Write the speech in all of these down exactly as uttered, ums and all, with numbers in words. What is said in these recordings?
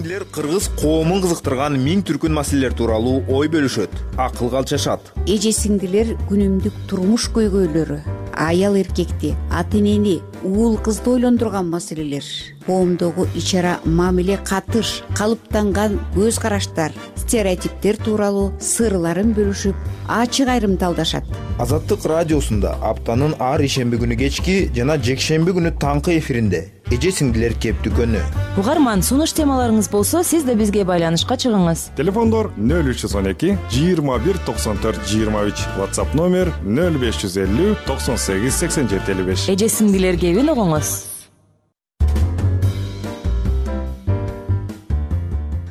Эже-сиңдилер кыргыз коомун кызыктырган миң түркүн маселелер тууралуу ой бөлүшөт, акылга алчашат. Эже-сиңдилер күнүмдүк турмуш көйгөйлөрү, аял эркекти, ата энени, уул кызды ойлондурган маселелер, коомдогу ич-ара мамиле, катыш, калыптанган көз караштар, стереотиптер тууралуу сырларын бөлүшүп, ачык айрымдалдашат. Азаттык радиосунда аптанын ар ишемби күнү кечки жана жекшемби күнү таңкы эфиринде эже-сиңдилер кеп дүкөнү. Угарман, сунуш темаларыңыз болсо, сиз да бизге байланышка чыгыңыз. Телефондор нөл үч жүз он эки жыйырма бир токсон төрт жыйырма үч, WhatsApp номер нөл беш жүз элүү токсон сегиз сексен жети элүү беш. Эже-сиңдилер кебин угуңуз.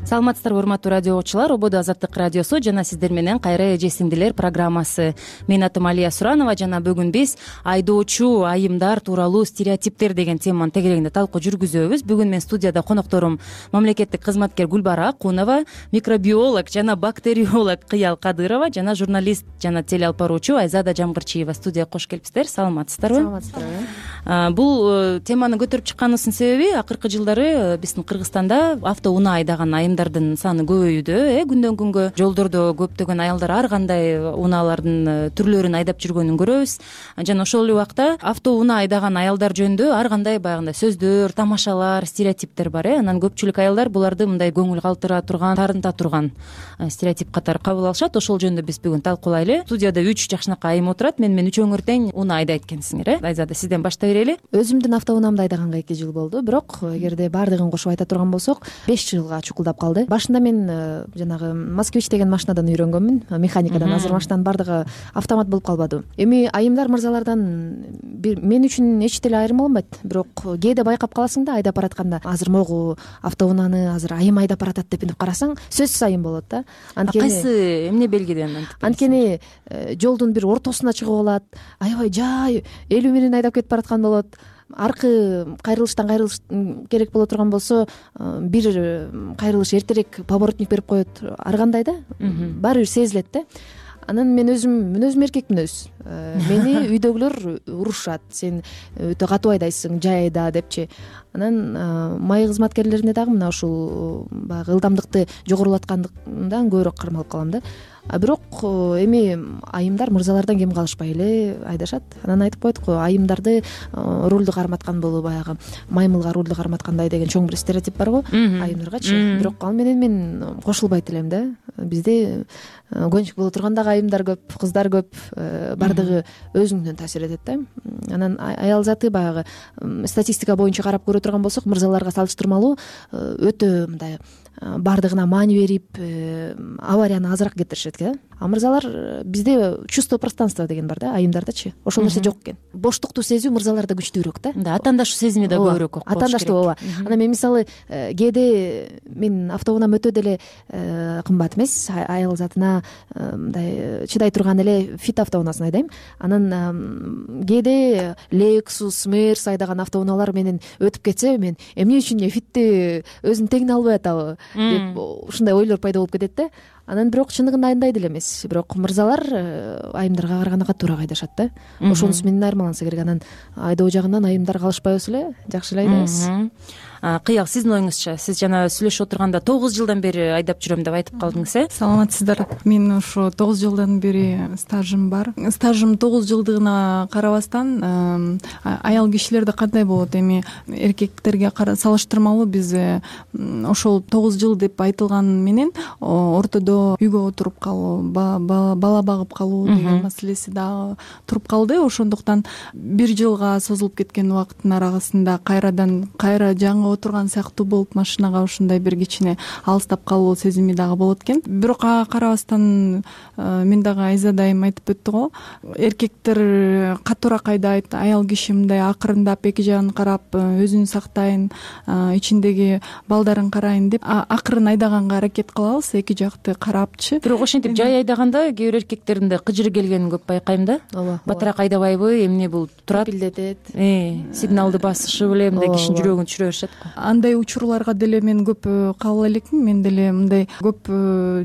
Саламатсыздарбы, урматтуу радио угуучулар. Ободо Азаттык радиосу жана сиздер менен кайра эже-сиңдилер программасы. Менин атым Алия Суранова жана бүгүн биз айдоочу айымдар тууралуу стереотиптер деген теманын тегерегинде талкуу жүргүзөбүз. Бүгүн мен студияда конокторум мамлекеттик кызматкер Гүлбара Акунова, микробиолог жана бактериолог Кыял Кадырова жана журналист жана телеалпаруучу Айзада Жамгырчиева студияга кош келипсиздер. Саламатсыздарбы? Саламатсыздарбы. Бул теманы көтөрүп чыкканыбыздын себеби акыркы жылдары биздин Кыргызстанда автоунаа айдаган айым саны көбөйүүдө, э күндөн күнгө жолдордо көптөгөн аялдар ар кандай унаалардын түрлөрүн айдап жүргөнүн көрөбүз. Жана ошол эле убакта автоунаа айдаган аялдар жөнүндө ар кандай баягындай сөздөр, тамашалар, стереотиптер бар, э анан көпчүлүк аялдар буларды мындай көңүл калтыра турган, тарынта турган стереотип катары кабыл алышат. Ошол жөнүндө биз бүгүн талкуулайлы. Студияда үч жакшынакай айым отурат. Мен мен үчөөңөр тең унаа айдайт экенсиңер, э Айзада, сизден баштай берели. Өзүмдүн автоунаамды айдаганга эки жыл болду, бирок эгерде баардыгын кошуп айта турган болсок, беш жылга чукулдап калды. Башында мен жанагы Москвич деген машинадан үйрөнгөнмүн, механикадан. Азыр машинанын баардыгы автомат болуп калбады. Эми айымдар мырзалардан мен үчүн эч деле айырма болбойт, бирок кээде байкап каласың да, айдап баратканда азыр могу автоунааны азыр айым айдап баратат деп карасаң, сөзсүз айым болот да. Анткени кайсы эмне белгиден антип? Анткени жолдун бир ортосуна чыгып алат, аябай жай элүү менен айдап кетип бараткан болот. Аркы кайрылыштан кайрылыш керек боло турган болсо, бир кайрылыш эртерээк поворотник берип коет. Ар кандай да, баары бир сезилет да. Анан мен өзүм мен өзүм эркекмин өзү. Мени үйдөгүлөр урушат. Сен өтө катуу айдайсың, жай айда депчи. Анан май кызматкерлерине дагы мына ушул баягы ылдамдыкты жогорулаткандан көбүрөөк кармалып калам да. А бирок эми айымдар мырзалардан кем калышпай эле айдашат. Анан айтып коет го, айымдарды рулду карматкан бул баягы маймылга рулду карматкандай деген чоң бир стереотип бар го айымдаргачы. Бирок ал менен мен кошулбайт элем да. Бизде көнчүк боло турган дагы айымдар көп, кыздар көп, баардыгы өзүңдөн таасир этет да. Анан аял заты баягы статистика боюнча карап көрө турган болсок, мырзаларга салыштырмалуу өтө мындай баардыгына маани берип, аварияны азыраак кетиришет экен. А мырзалар бизде чувство пространства деген бар да, айымдардачы. Ошол нерсе жок экен. Боштукту сезүү мырзаларда күчтүүрөөк да. Да, атаандашуу сезими да көбүрөөк. Атаандаштуу, ооба. Анан мен мисалы кээде мен автоунаам өтө деле кымбат эмес, аял затына мындай чыдай турган эле фит автоунаасын айдайм. Анан кээде Lexus, Mercedes айдаган автоунаалар менен өтүп кетсе, мен эмне үчүн фитти өзүнүн теңине албай атабы деп ушундай ойлор пайда болуп кетет да. Анан бирок чындыгында андай деле эмес. Бирок мырзалар айымдарга караганда катуураак айдашат да. Ошонусу менен айырмаланса керек. Анан айдоо жагынан айымдар калышпайбыз эле, жакшы эле айдайбыз. Кыял, сиздин оюңузча? Сиз жана сүйлөшүп отурганда тогуз жылдан бери айдап жүрөм деп айтып калдыңыз, э? Саламатсыздар. Мен ошо тогуз жылдан бери стажым бар. Стажым тогуз жылдыгына карабастан аял кишилерде кандай болот? Эми эркектерге салыштырмалуу биз ошол тогуз жыл деп айтылган менен ортодо үйгө отуруп калуу, бала багып калуу деген маселеси дагы туруп калды. Ошондуктан бир жылга созулуп кеткен убакыттын арасында кайрадан кайра жаңы отурган сыяктуу болуп, машинага ушундай бир кичине алыстап калуу сезими дагы болот экен. Бирок ага карабастан мен дагы Айзада айым айтып өттү го, эркектер катуураак айдайт, аял киши мындай акырындап эки жагын карап өзүн сактайын, ичиндеги балдарын карайын деп акырын айдаганга аракет кылабыз, эки жакты карапчы. бирок ошентип жай айдаганда кээ бир эркектердин да кыжыры келгенин көп байкайм да. ооба Батыраак айдабайбы, эмне бул турат, пилдетет, сигналды басышы беле мындай кишинин жүрөгүн түшүрө беришет го. Андай учурларга деле мен көп кабыл элекмин. Мен деле мындай көп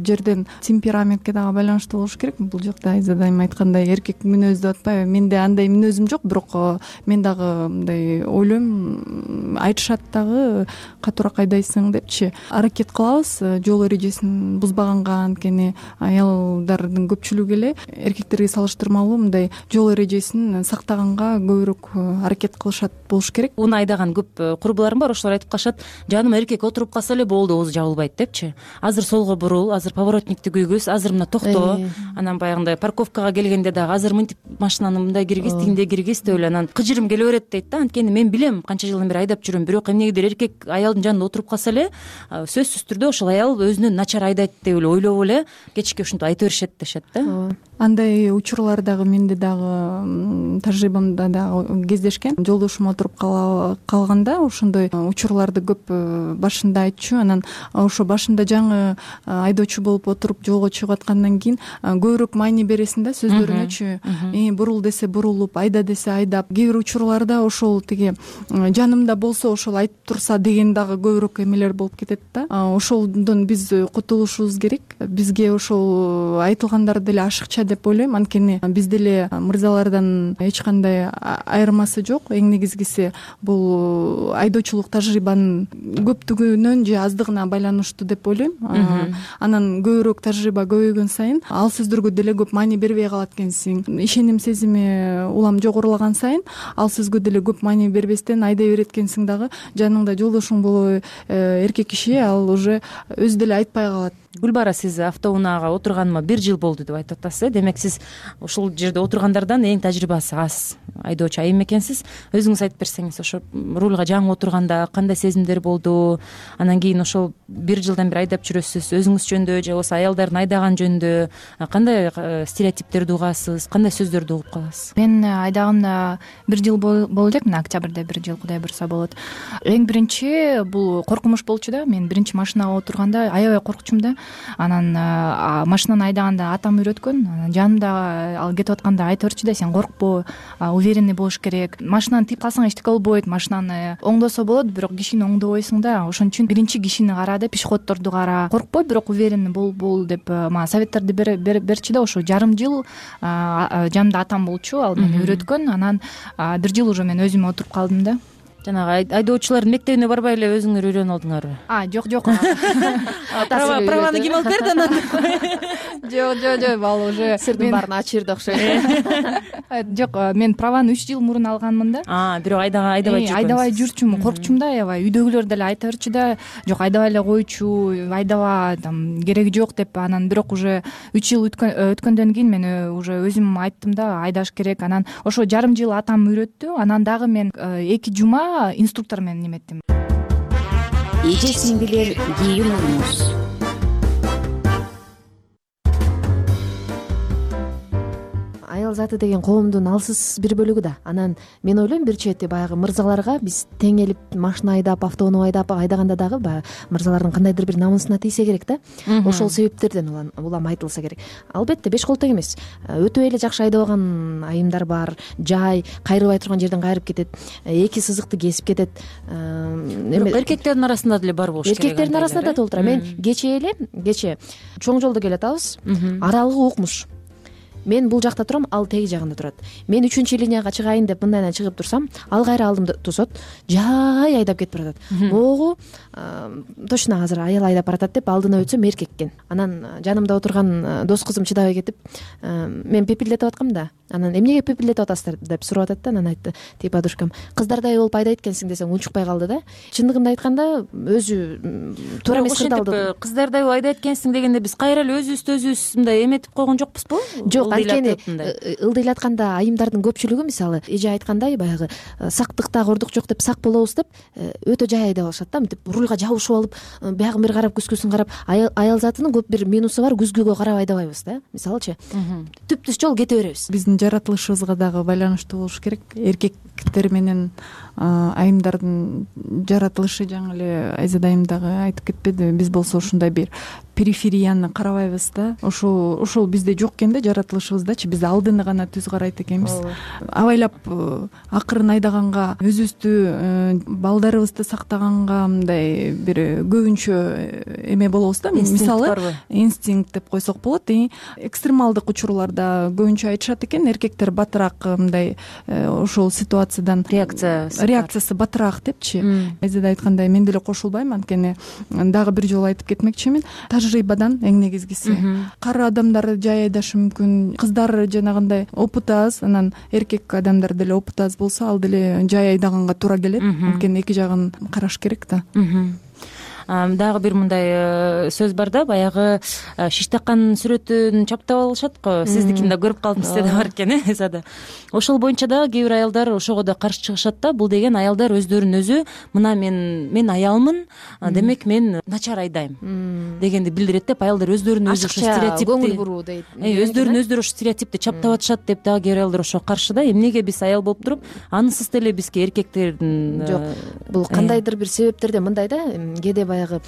жерден темпераментке дагы байланыштуу болуш керек. Бул жакта Айза дайым айткандай эркек мүнөз деп атпайбы. Менде андай мүнөзүм жок, бирок мен дагы мындай ойлойм, айтышат дагы катуураак айдайсың депчи. Аракет кылабыз жол эрежесин бузбаганга. Анткени аялдардын көпчүлүгү эле эркектерге салыштырмалуу мындай жол эрежесин сактаганга көбүрөөк аракет кылышат болуш керек. Унаа айдаган көп курбуларым бар, ошолор айтып калышат, жаным эркек отуруп калса эле болду, оозу жабылбайт депчи. Азыр солго бурул, азыр поворотникти күйгүз, азыр мына токто, анан баягындай парковкага келгенде дагы азыр мынтип машинаны мындай киргиз, тигиндей киргиз деп эле анан кыжырым келе берет дейт да. Анткени мен билем, канча жылдан бери айдап жүрөм, бирок эмнегедир эркек аялдын жанында отуруп калса эле сөзсүз түрдө ошол аял өзүнөн начар айдайт деп эле ойлоп эле кечке ушинтип айта беришет дешет да. Андай учурлар дагы менде дагы тажрыйбамда дагы кездешкен. Жолдошум отуруп калганда ошондой учурларды көп башында айтчу. Анан ошо башында жаңы айдоочу болуп отуруп жолго чыгып аткандан кийин көбүрөөк маани бересиң да сөздөрүнөчү. Бурул десе бурулуп, айда десе айдап. Кээ бир учурларда ошол тиги жанымда болсо ошол айтып турса деген дагы көбүрөөк эмелер болуп кетет да. Ошолдон биз кутулушубуз керек. Бизге ошол айтылгандар деле ашыкча деп ойлойм. Анткени биз деле мырзалардан эч кандай айырмасы жок. Эң негизгиси бул айдоочулук тажрыйбанын көптүгүнөн же аздыгына байланыштуу деп ойлойм. Анан көбүрөөк тажрыйба көбөйгөн сайын ал сөздөргө деле көп маани бербей калат экенсиң. Ишеним сезими улам жогорулаган сайын ал сөзгө деле көп маани бербестен айдай берет экенсиң дагы. Жаныңда жолдошуң болобу эркек киши ал уже өзү деле айтпай калат. Гүлбара, сиз автоунаага отурганыма бир жыл болду деп айтып атасыз. Демек сиз ушул жерде отургандардан эң тажрыйбасы аз айдоочу айым экенсиз. Өзүңүз айтып берсеңиз, ошо рулга жаңы отурганда кандай сезимдер болду? Анан кийин ошол бир жылдан бери айдап жүрөсүз. Өзүңүз жөнүндө же болбосо аялдардын айдаган жөнүндө кандай стереотиптерди угасыз, кандай сөздөрдү угуп каласыз? Мен айдаганда бир жыл болду элек, мына октябрда бир жыл, Кудай буйруса болот. Эң биринчи бул коркунуч болчу да. Мен биринчи машинага отурганда аябай коркчумун да. Анан машинаны айдаганда атам үйрөткөн. Жанымда ал кетип атканда айта берчү да, сен коркпо, уверенный болуш керек. Машинаны тийип калсаң эчтеке болбойт. Машинаны оңдосо болот, бирок кишини оңдобойсуң да. Ошон үчүн биринчи кишини кара деп, пешеходдорду кара. Коркпой, бирок уверенный бол бол деп мага советтерди берчү да. Ошо жарым жыл жанымда атам болчу, ал мени үйрөткөн. Анан бир жыл уже мен өзүм отуруп калдым да. Жанагы айдоочулардын мектебине барбай эле өзүңөр үйрөнүп алдыңарбы? А, жок, жок. Праваны ким алып берди анан? Жок, жок, жок, ал уже сирдин баарын ачырды окшойт. Жок, мен праваны үч жыл мурун алганмын да. А, бирок айдабай жүрчүмүн. Айдабай жүрчүмүн, коркчумун да аябай. Үйдөгүлөр деле айта берчү да, жок, айдабай эле койчу, айдаба, там кереги жок деп. Анан бирок уже үч жыл өткөндөн кийин мен уже өзүм айттым да, айдаш керек. Анан ошо жарым жыл атам үйрөттү. Анан дагы мен эки жума инструктор менен неметтим. Эже сиңдилер кийин уруңуз. Аял заты деген коомдун алсыз бир бөлүгү да. Анан мен ойлойм, бир чети баягы мырзаларга биз тең элип машина айдап, автоунаа айдап айдаганда дагы баягы мырзалардын кандайдыр бир намысына тийсе керек да. Ошол себептерден улам айтылса керек. Албетте беш кол тең эмес. Өтө эле жакшы айдабаган айымдар бар. Жай кайрыбай турган жерден кайрып кетет, эки сызыкты кесип кетет. Бирок эркектердин арасында деле бар болуш керек. Эркектердин арасында да толтура. Мен кечээ эле, кечээ чоң жолдо келатабыз. Аралыгы укмуш. Мен бул жакта турам, ал теги жагында турат. Мен үчүнчү линияга чыгайын деп мындайдан чыгып турсам, ал кайра алдымда тосот, жай айдап кетип баратат. Могу точно азыр аял айдап баратат деп алдына өтсөм эркек экен. Анан жанымда отурган дос кызым чыдабай кетип, мен пепилдетип аткам да. Анан эмнеге пепилдетип атасыздар деп сурап атат да. Анан айтты, тип подружкам, кыздардай болуп айдайт экенсиң десең унчукпай калды да. Чындыгында айтканда өзү туура эмес кырдаалды. Кыздардай болуп айдайт экенсиң дегенде биз кайра эле өзүбүздү өзүбүз мындай эметип койгон жокпузбу? Жок, анткени ылдыйлатканда айымдардын көпчүлүгү мисалы эже айткандай баягы сактыкта кордук жок деп сак болобуз деп өтө жай айдап алышат да. Мынтип рулга жабышып алып, биягын бир карап, күзгүсүн карап. Аял затынын көп бир минусу бар, күзгүгө карап айдабайбыз да. Мисалычы, түп-түз жол кете беребиз. Биздин жаратылышыбызга дагы байланыштуу болуш керек. Эркектер менен айымдардын жаратылышы жаңы эле Айза дайым дагы айтып кетпедиби? Биз болсо ушундай бир периферияны карабайбыз да. ошол ошол бизде жок экен да, жаратылышыбыздачы. Биз алдыны гана түз карайт экенбиз. Абайлап акырын айдаганга, өзүбүздү, балдарыбызды сактаганга мындай бир көбүнчө эме болобуз да. Мисалы инстинкт деп койсок болот. Экстремалдык учурларда көбүнчө айтышат экен, эркектер батыраак мындай ошол ситуациядан реакция реакциясы батыраак депчи. Эзеде айткандай мен деле кошулбайм, анткени дагы бир жолу айтып кетмекчимин. Тажрыйбадан эң негизгиси. Кары адамдар жай айдашы мүмкүн, кыздар жанагындай опыты аз, анан эркек адамдар деле опыты аз болсо, ал деле жай айдаганга туура келет. Анткени эки жагын караш керек да. Дагы бир мындай сөз бар да, баягы шиш таккан сүрөтүн чаптап алышат го. Сиздикин да көрүп калдым, сизде да бар экен, э, эзада. Ошол боюнча дагы кээ бир аялдар ошого да каршы чыгышат да. Бул деген аялдар өздөрүн өзү мына мен мен аялмын, демек мен начар айдайм дегенди билдирет деп, аялдар өздөрүн өзү ошо стереотипти көңүл буруу дейт. Өздөрүн өздөрү ошо стереотипти чаптап атышат деп дагы кээ бир аялдар ошого каршы да. Эмнеге биз аял болуп туруп, анысыз деле бизге эркектердин жок. Бул кандайдыр бир себептерден мындай да, кээде баягы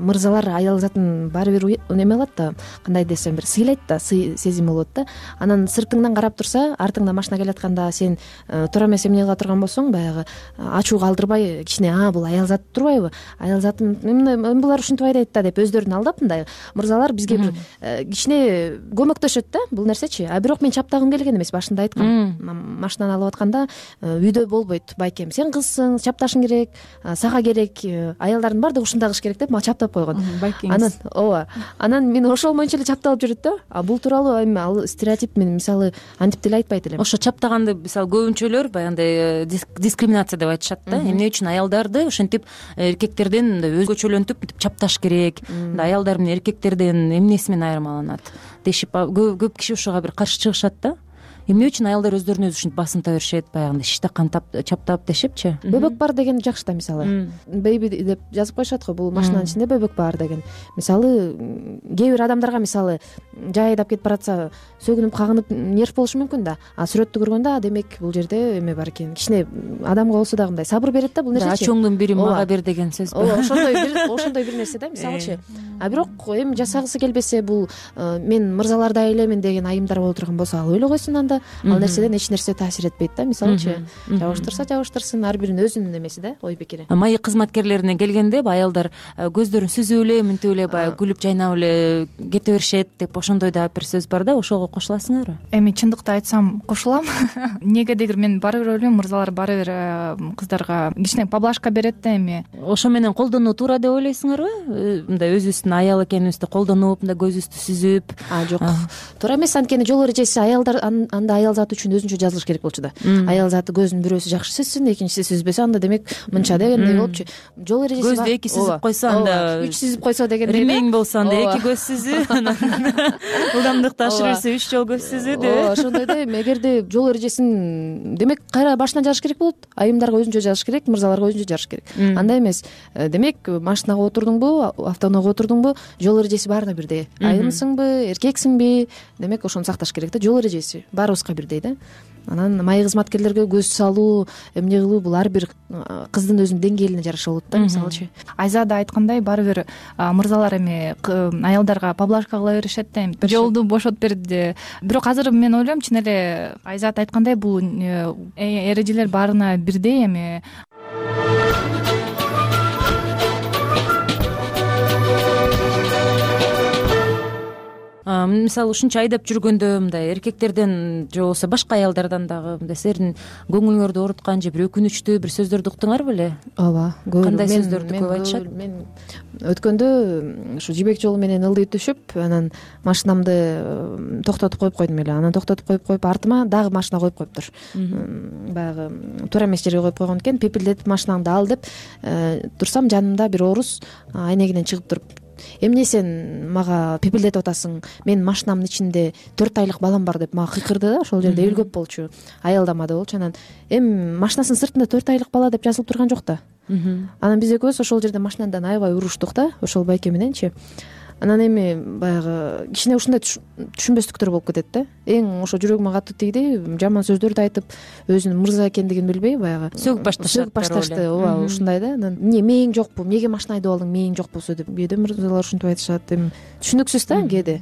мырзалар аял затын баары бир неме кылат да, кандай десем, бир сыйлайт да, сый сезим болот да. Анан сыртыңдан карап турса, артыңда машина келатканда сен туура эмес эмне кыла турган болсоң, баягы ачууга алдырбай кичине а бул аял зат турбайбы, аял затым эми булар ушинтип айдайт да деп өздөрүн алдап, мындай мырзалар бизге бир кичине көмөктөшөт да бул нерсечи. А бирок мен чаптагым келген эмес, башында айткам. Машинаны алып атканда үйдө болбойт байкем, сен кызсың, чапташың керек, сага керек, аялдардын баардыгы ушундай кылыш керек деп мага чаптап койгон. Анан ооба, анан мен ошол боюнча эле чапталып жүрөт да. А бул тууралуу эми ал стереотип мен мисалы антип деле айтпайт элем. Ошо чаптаганды мисалы көбүнчөлөр баягындай дискриминация деп айтышат да. Эмне үчүн аялдарды ошентип эркектерден мындай өзгөчөлөнтүп мынтип чапташ керек, мындай аялдар менен эркектерден эмнеси менен айырмаланат дешип көп киши ошого бир каршы чыгышат да. Эмне үчүн аялдар өздөрүнө өзү ушинтип басымта беришет, баягындай шиш таккан чаптап дешипчи. Бөбөк бар деген жакшы да, мисалы. Бейби деп жазып коюшат го, бул машинанын ичинде бөбөк бар деген. Мисалы кээ бир адамдарга мисалы жай айдап кетип баратса, сөгүнүп кагынып нерв болушу мүмкүн да. А сүрөттү көргөндө демек бул жерде эме бар экен. Кичине адамга болсо дагы мындай сабыр берет да бул нерсечи. Ачооңдун бири мага бер деген сөз бар. Ооба, ошондой бир ошондой бир нерсе да, мисалычы. А бирок эми жасагысы келбесе, бул мен мырзалардай элемин деген айымдар боло турган болсо, ал өлө койсун анда. Ал нерседен эч нерсе таасир этпейт да, мисалычы. Жабыштырса жабыштырсын, ар биринин өзүнүн эмеси да, ой пикири. Майы кызматкерлерине келгенде аялдар көздөрүн сүзүп эле, мынтип эле баягы күлүп жайнап эле кете беришет деп, ошондой да бир сөз бар да, ошого кошуласыңарбы? Эми чындыкты айтсам кошулам. Негедегир мен баары бир ойлойм, мырзалар баары бир кыздарга кичине поблажка берет да эми. Ошо менен колдонуу туура деп ойлойсуңарбы? Мындай өзүбүздүн аял экенибизди колдонуп, мындай көзүбүздү сүзүп. А жок. Туура эмес, анткени жол эрежеси аялдар анда аял заты үчүн өзүнчө жазылыш керек болчу да. Аял заты көзүн бирөөсү жакшы сүзсүн, экинчиси сүзбөсө, анда демек мынча дегендей болупчу. Жол эрежеси бар. Көздү эки сүзүп койсо, анда үч сүзүп койсо дегендей. Ремень болсо анда эки көз сүзүү, ылдамдыкты ашыр берсе үч жол көз сүзүү деп. Ооба, ошондой да. Эгерде жол эрежесин демек кайра башынан жазыш керек болот. Айымдарга өзүнчө жазыш керек, мырзаларга өзүнчө жазыш керек. Андай эмес. Демек машинага отурдуңбу, автоунаага отурдуңбу, жол эрежеси баарына бирдей. Айымсыңбы, эркексиңби, демек ошону сакташ керек да. Жол эрежеси баарыбызга бирдей да. Анан майы кызматкерлерге көз салуу, эмне кылуу, бул ар бир кыздын өзүнүн деңгээлине жараша болот да, мисалычы. Айзада айткандай, баары бир мырзалар эми аялдарга поблажка кыла беришет да, эми жолду бошотуп берди. Бирок азыр мен ойлойм, чын эле Айзат айткандай, бул эрежелер баарына бирдей эми. Мисалы ушунча айдап жүргөндө мындай эркектерден же болбосо башка аялдардан дагы мындай силердин көңүлүңөрдү ооруткан же бир өкүнүчтүү бир сөздөрдү уктуңарбы эле? Ооба, көп. Кандай сөздөрдү көп айтышат? Мен өткөндө ушу жибек жолу менен ылдый түшүп, анан машинамды токтотуп коюп койдум эле. Анан токтотуп коюп коюп артыма дагы машина коюп коюптур. Баягы туура эмес жерге коюп койгон экен, пепилдетип машинаңды ал деп турсам, жанымда бир орус айнегинен чыгып туруп: эмне сен мага пепилдетип атасың, мен машинамдын ичинде төрт айлык балам бар деп мага кыйкырды да. Ошол жерде эл көп болчу, аялдамады болчу. Анан эми машинасынын сыртында төрт айлык бала деп жазылып турган жок да. Анан биз экөөбүз ошол жерде машинандан аябай уруштук да, ошол байке мененчи. анан эми баягы кичине ушундай түшүнбөстүктөр болуп кетет да. Эң ошо жүрөгүмө катуу тийди, жаман сөздөрдү айтып, өзүнүн мырза экендигин билбей баягы сөгүп башташат. сөгүп башташты. Ооба, ушундай да. Анан эмне мээң жокпу, эмнеге машина айдап алдың, мээң жок болсо деп кээде мырзалар ушинтип айтышат. Эми түшүнүксүз да кээде.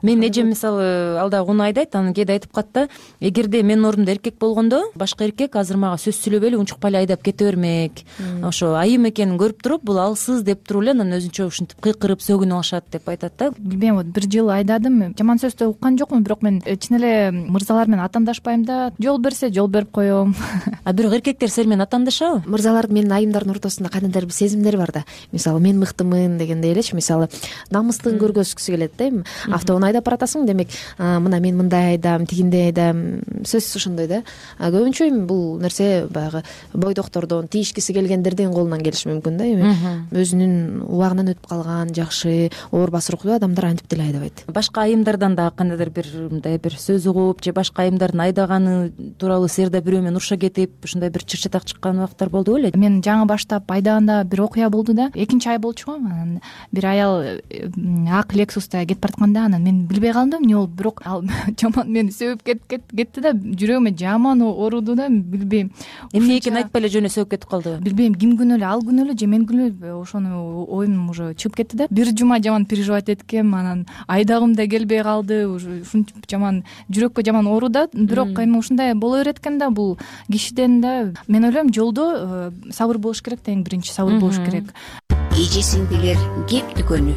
Менин эжем мисалы ал дагы уну айдайт, анан кээде айтып калат да, эгерде менин ордумда эркек болгондо башка эркек азыр мага сөз сүйлөбөй эле унчукпай эле айдап кете бермек. Ошо айым экенин көрүп туруп, бул алсыз деп туруп эле анан өзүнчө ушинтип кыйкырып сөгүнүп алышат деп айтат да. Билбейм, вот бир жыл айдадым, жаман сөздү уккан жокмун, бирок мен чын эле мырзалар менен атаандашпайм да, жол берсе жол берип коем. А бирок эркектер сени менен атаандашабы? Мырзалардын менин айымдардын ортосунда кандайдыр бир сезимдер бар да. Мисалы мен мыктымын дегендей элечи, мисалы намыстыгын көргөзгүсү келет да. Эми автоунаа айдап баратасың, демек мына мен мындай айдам, тигиндей айдам, сөзсүз ошондой да. Көбүнчө эми бул нерсе баягы бойдоктордон, тийишкиси келгендердин колунан келиши мүмкүн да. Эми өзүнүн убагынан өтүп калган жакшы оор басыруктуу адамдар антип деле айдабайт. Башка айымдардан дагы кандайдыр бир мындай бир сөз угуп же башка айымдардын айдаганы тууралуу силер да бирөө менен уруша кетип, ушундай бир чыр чатак чыккан убактар болдубу беле? Мен жаңы баштап айдаганда бир окуя болду да. Экинчи ай болчу го. Анан бир аял ак Lexus'та кетип баратканда, анан мен билбей калдым эмне болуп, бирок ал жаман мени сөөп кетти да, жүрөгүмө жаман ооруду да, билбейм. Эмне экенин айтпай эле жөн эле сөөп кетип калдыбы? Билбейм, ким күнөө эле, ал күнөө эле же мен күнөө эле, ошону оюм уже чыгып кетти да. Бир жума жаман переживать эткем, анан айдагым да келбей калды, уже ушинтип жаман жүрөккө жаман оору да. Бирок эми ушундай боло берет экен да, бул кишиден да. Мен ойлойм, жолдо сабыр болуш керек да, эң биринчи сабыр болуш керек. Эже сиңдилер кеп дүкөнү.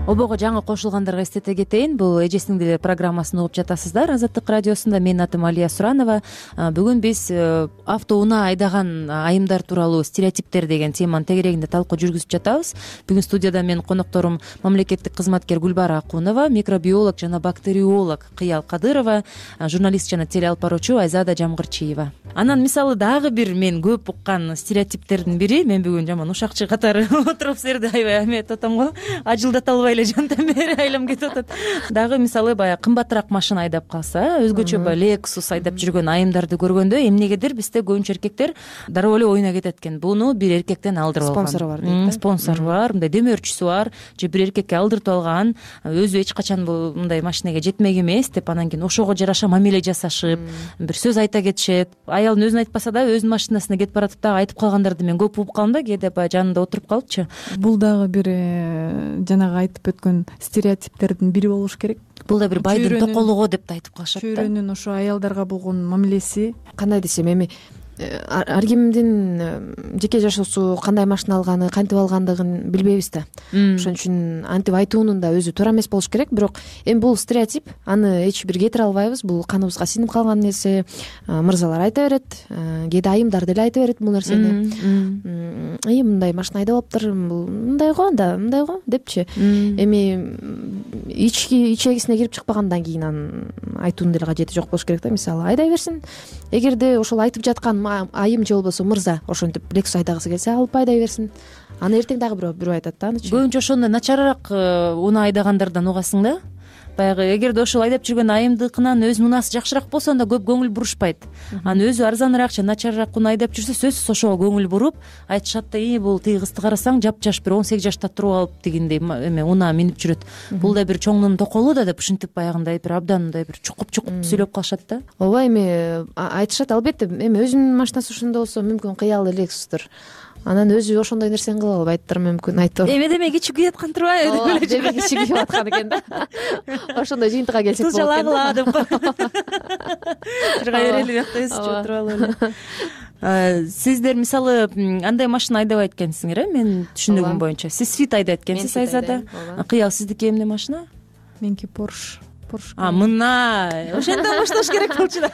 Обого жаңы кошулгандарга эстете кетейин, бул Эже сиңдилер программасын угуп жатасыздар. Азаттык радиосунда менин атым Алия Суранова. Бүгүн биз автоунаа айдаган айымдар тууралуу стереотиптер деген теманын тегерегинде талкуу жүргүзүп жатабыз. Бүгүн студияда менин конокторум мамлекеттик кызматкер Гүлбара Акунова, микробиолог жана бактериолог Кыял Кадырова, журналист жана телеалып баруучу Айзада Жамгырчиева. Анан мисалы дагы бир мен көп уккан стереотиптердин бири, мен бүгүн жаман ушакчы катары отуруп силерди аябай эметип атам го, ажылдата албай эле жантан бери айлам кетип атат. Дагы мисалы баягы кымбатыраак машина айдап калса, өзгөчө баягы Lexus айдап жүргөн айымдарды көргөндө эмнегедир бизде көбүнчө эркектер дароо эле оюна кетет экен. Буну бир эркектен алдырып алган. Спонсору бар дейт да. Спонсору бар, мындай демөөрчүсү бар, же бир эркекке алдыртып алган, өзү эч качан бул мындай машинеге жетмек эмес деп, анан кийин ошого жараша мамиле жасашып, бир сөз айта кетишет. Аялын өзүн айтпаса да өзүнүн машинасына кетип баратып дагы айтып калгандарды мен көп угуп калдым да, кээде баягы жанында отуруп калыпчы. Бул дагы бир жанагы айтып өткөн стереотиптердин бири болуш керек. Бул да бир байдын токолугу деп да айтып калышат да. Чөйрөнүн ошо аялдарга болгон мамилеси Кандай десем, эми ар кимдин жеке жашоосу, кандай машина алганы, кантип алгандыгын билбейбиз да. Ошон үчүн антип айтуунун да өзү туура эмес болуш керек. Бирок эми бул стереотип, аны эч бир кетире албайбыз. Бул каныбызга сиңип калган нерсе. Мырзалар айта берет, кээде айымдар деле айта берет бул нерсени. Ий, мындай машина айдап алыптыр, бул мындай го да, мындай го депчи. Эми ички ичегисине кирип чыкпагандан кийин анын айтуунун деле кажети жок болуш керек да. Мисалы айдай берсин. Эгерде ошол айтып жаткан айым же болбосо мырза ошентип Lexus айдагысы келсе, алып айдай берсин. Аны эртең дагы бирөө бирөө айтат да анычы. Көбүнчө ошондой начарыраак унаа айдагандардан угасың да. Баягы эгерде ошол айдап жүргөн айымдыкынан өзүнүн унаасы жакшыраак болсо, анда көп көңүл бурушпайт. Анан өзү арзаныраак же начарыраак унаа айдап жүрсө, сөзсүз ошого көңүл буруп айтышат да, ий бул тиги кызды карасаң жапжаш бир он сегиз жашта туруп алып дегендей эме унаа минип жүрөт. Бул да бир чоңдун токолу да деп ушинтип баягындай бир абдан мындай бир чукуп-чукуп сөйлөп калышат да. Ооба, эми айтышат, албетте. Эми өзүнүн машинасы ошондой болсо мүмкүн кыялы Lexus'тур. Анан өзү ошондой нерсени кыла албайттыр мүмкүн, айтор. Эме деме кичи күйүп аткан турбайбы деп эле деме кичи күйүп аткан экен да. Ошондой жыйынтыкка келсек болот экен. Жалагыла деп жырга берели биякта өзүчө отуруп алып эле. Сиздер мисалы андай машина айдабайт экенсиңер, э? Мен түшүнүгүм боюнча. Сиз Fit айдайт экенсиз, Айзада. Кыял, сиздики эмне машина? Меники Porsche. А, мына ошондон башташ керек болчу да.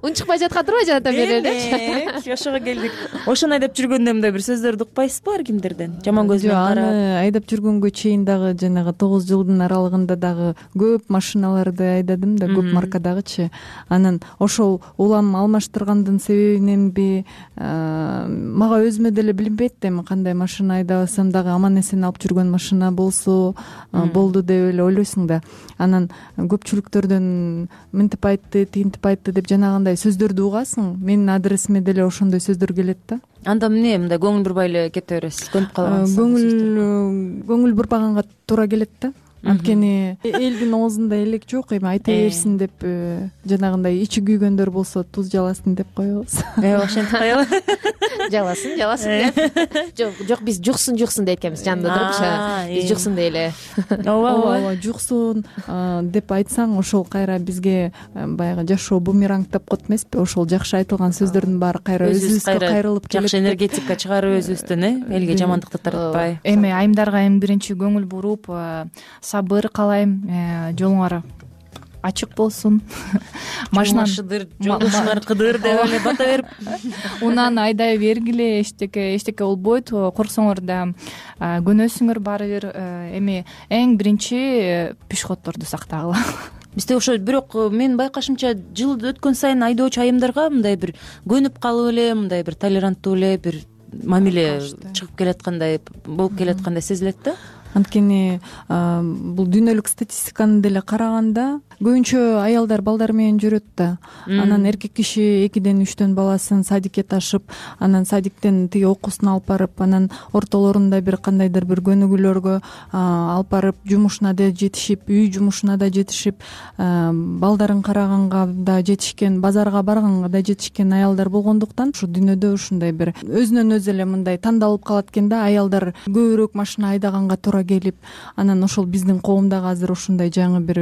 Унчукпай жаткан турбайбы жантан бери элечи? Ошого келдик. Ошону айдап жүргөндө мындай бир сөздөрдү укпайсызбы ар кимдерден? Жаман көз менен карап. Аны айдап жүргөнгө чейин дагы жанагы тогуз жылдын аралыгында дагы көп машиналарды айдадым да, көп маркадагычы. Анан ошол улам алмаштыргандын себебиненби, мага өзүмө деле билинбейт да, эми кандай машина айдабасам дагы аман эсен алып жүргөн машина болсо болду деп эле ойлойсуң да. Анан көпчүлүктөрдөн мынтип айтты, тинтип айтты деп жанагындай сөздөрдү угасың. Менин адресиме деле ошондой сөздөр келет да. Анда эмне мындай көңүл бурбай эле кете бересиз, көнүп калгансыз? Көңүл көңүл бурбаганга туура келет да. Анткени элдин оозунда элек жок, эми айта берсин деп жанагындай ичи күйгөндөр болсо туз жаласын деп коебуз. Э, ошентип коелу. Жаласын, жаласын деп. Жок, жок, биз жуксун, жуксун дейт экенбиз жанында туруп. Биз жуксун дейле. Ооба, ооба, жуксун деп айтсаң, ошол кайра бизге баягы жашоо бумерангдап коет эмеспи? Ошол жакшы айтылган сөздөрдүн баары кайра өзүбүзгө кайрылып келет. Жакшы энергетика чыгарып өзүбүздөн, э, элге жамандыкты таратпай. Эми айымдарга эми биринчи көңүл буруп, сабыр каалайм, жолуңар ачык болсун. Машина шыдыр, жолдошуңар кыдыр деп эле бата берип унан айдай бергиле, эчтеке эчтеке болбойт. Корксоңор да көнөсүңөр баары бир. Эми эң биринчи пешеходдорду сактагыла. Бизде ошо, бирок менин байкашымча жыл өткөн сайын айдоочу айымдарга мындай бир көнүп калып эле, мындай бир толеранттуу эле бир мамиле чыгып келаткандай болуп келаткандай сезилет да. Анткени бул дүйнөлүк статистиканы деле караганда көбүнчө аялдар балдар менен жүрөт да. Анан эркек киши экиден үчтөн баласын садикке ташып, анан садиктен тиги окуусун алып барып, анан ортолорунда бир кандайдыр бир көнүгүүлөргө алып барып, жумушуна да жетишип, үй жумушуна да жетишип, балдарын караганга да жетишкен, базарга барганга да жетишкен аялдар болгондуктан ушу дүйнөдө ушундай бир өзүнөн өзү эле мындай тандалып калат экен да. Аялдар көбүрөөк машина айдаганга туура келип, анан ошол биздин коомдагы азыр ушундай жаңы бир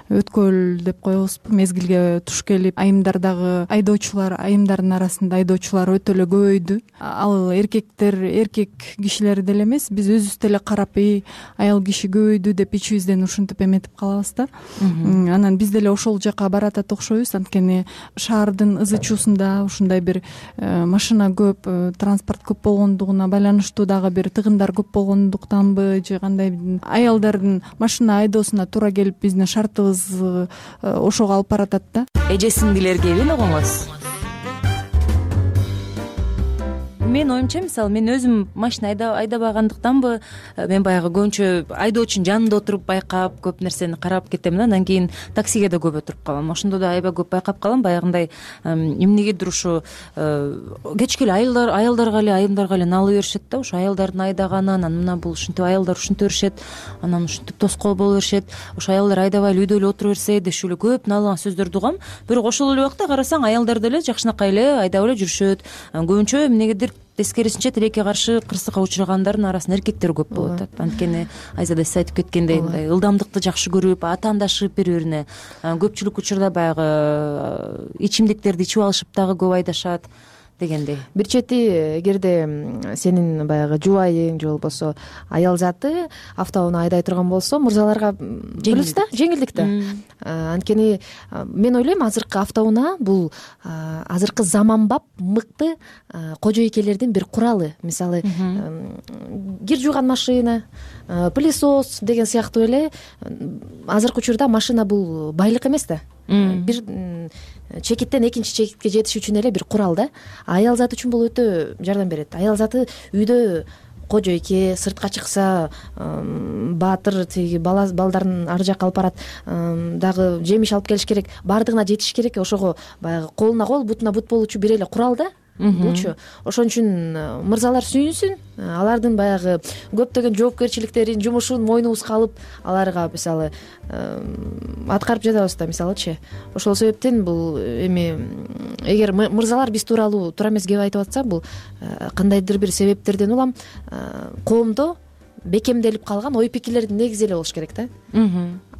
өткөл деп коебузбу, мезгилге туш келип, айымдар дагы айдоочулар, айымдардын арасында айдоочулар өтө эле көбөйдү. Ал эркектер, эркек кишилер деле эмес, биз өзүбүз деле карап, эй, аял киши көбөйдү деп ичибизден ушинтип эметип калабыз да. Анан биз деле ошол жака баратат окшойбуз. Анткени шаардын ызы чуусунда ушундай бир машина көп, транспорт көп болгондугуна байланыштуу дагы бир тыгындар көп болгондуктанбы, же кандай аялдардын машина айдоосуна туура келип биздин шартыбыз ошого алып баратат да. Эже сиңдилерге эмне коңоз? Менин оюмча, мисалы, мен өзүм машина айдабагандыктанбы, мен баягы көбүнчө айдоочунун жанында отуруп байкап, көп нерсени карап кетем да. Андан кийин таксиге да көп отуруп калам. Ошондо да аябай көп байкап калам, баягындай эмнегедир ушу кечке эле аялдар аялдарга эле, айымдарга эле налып беришет да. Ошо аялдардын айдаганы, анан мына бул ушинтип аялдар ушинте беришет, анан ушинтип тоскоол боло беришет. Ошо аялдар айдабай эле үйдө эле отура берсе дешип эле көп налыган сөздөрдү угам. Бирок ошол эле убакта карасаң, аялдар деле жакшынакай эле айдап эле жүрүшөт. Көбүнчө эмнегедир тескерисинче тилекке каршы кырсыкка учурагандардын арасында эркектер көп болуп атат. Анткени Айзада сиз айтып кеткендей, мындай ылдамдыкты жакшы көрүп, атаандашып бири-бирине, көпчүлүк учурда баягы ичимдиктерди ичип алышып дагы көп айдашат дегендей. Бир чети, эгерде сенин баягы жубайың же болбосо аял заты автоунаа айдай турган болсо, мырзаларга жеңилдик да, жеңилдик да. Анткени мен ойлойм, азыркы автоунаа бул азыркы заманбап мыкты кожойкелердин бир куралы. Мисалы, кир жууган машина, пылесос деген сыяктуу эле азыркы учурда машина бул байлык эмес да. Бир чекиттен экинчи чекитке жетиш үчүн эле бир курал да. Аял заты үчүн бул өтө жардам берет. Аял заты үйдө кожойке, сыртка чыкса баатыр тиги балдарын ар жакка алып барат, дагы жемиш алып келиш керек, баардыгына жетиш керек. Ошого баягы колуна кол, бутуна бут болуучу бир эле курал да. Булчу. Ошон үчүн мырзалар сүйүнсүн, алардын баягы көптөгөн жоопкерчиликтерин, жумушун мойнубузга алып, аларга мисалы аткарып жатабыз да, мисалычы. Ошол себептен бул эми эгер мырзалар биз тууралуу туура эмес кеп айтып атса, бул кандайдыр бир себептерден улам коомдо бекемделип калган ой пикирлердин негизи эле болуш керек да.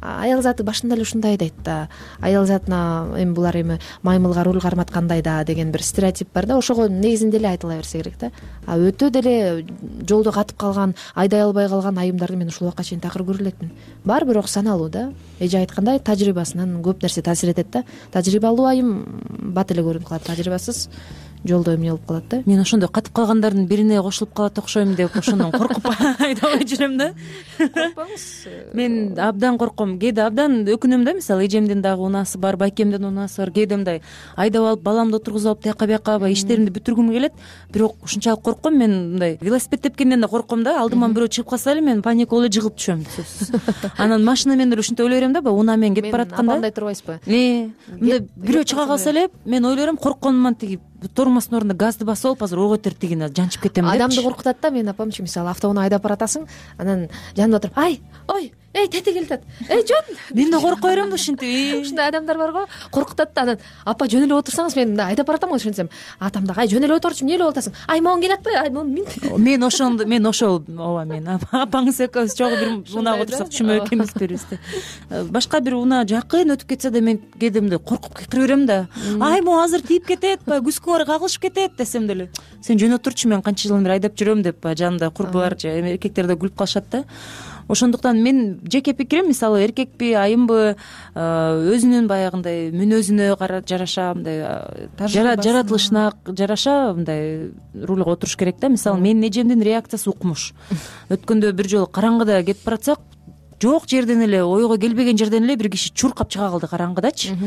Аял заты башында эле ушундай дейт да. Аял затына эми булар эми маймылга руль карматкандай да деген бир стереотип бар да. Ошого негизинде эле айтыла берсе керек да. А өтө деле жолдо катып калган, айдай албай калган айымдарды мен ушул убакка чейин такыр көрө элекмин. Бар, бирок саналуу да. Эже айткандай, тажрыйбасынан көп нерсе таасир этет да. Тажрыйбалуу айым бат эле көрүнүп калат, тажрыйбасыз жолдо эмне болуп калат да. мен ошондой катып калгандардын бирине кошулуп калат окшойм деп ошондон коркуп айдабай жүрөм да. Коркпоңуз. мен абдан корком, кээде абдан өкүнөм да, мисалы эжемдин дагы унаасы бар, байкемдин унаасы бар, кээде мындай айдап алып баламды отургузуп алып тияка бияка баягы иштеримди бүтүргүм келет, бирок ушунчалык корком. Мен мындай велосипед тепкенден да корком да, алдыман бирөө чыгып калса эле мен паника болуп эле жыгылып түшөм сөзсүз. Анан машина менен эле ушинтип ойлой берем да, баягы унаа менен кетип баратканда апамдай турбайсызбы? э мындай бирөө чыга калса эле мен ойлой берем, коркконуман тиги тормоздун ордуна газды басып алып азыр ого бетер тигине жанчып кетем депчи. Адамды коркутат да. Менин апамчы мисалы автоунаа айдап баратасың, анан жанымда туруп ай ой эй тети келатат, эй жөн. Мен да коркой берем да ушинтип. Ушундай адамдар барго, коркутат да. Анан апа жөн эле отурсаңыз, мен мындай айдап баратам го ошентсем, атам дагы ай жөн эле отурчу, эмне эле болуп атасың, ай могун келе атпайбы, ай могун мин. Мен ошондо мен ошол ооба мен апаңыз экөөбүз жогу бир унаага отурсак түшүнбөй экенбиз берибиз да. Башка бир унаа жакын өтүп кетсе да мен кээде мындай коркуп кыйкырып берем да. Ай могу азыр тийип кетет, баягы күзгүңөр кагылышып кетет десем деле, сен жөн отурчу, мен канча жылдан бери айдап жүрөм деп жанымда курбулар же эркектер да күлүп калышат да. Ошондуктан мен жеке пикирим, мисалы эркекпи айымбы, өзүнүн баягындай мүнөзүнө жараша, мындай жаратылышына жараша мындай рульга отуруш керек да. Мисалы менин эжемдин реакциясы укмуш. Өткөндө бир жолу караңгыда кетип баратсак, жок жерден эле, ойго келбеген жерден эле бир киши чуркап чыга калды караңгыдачы.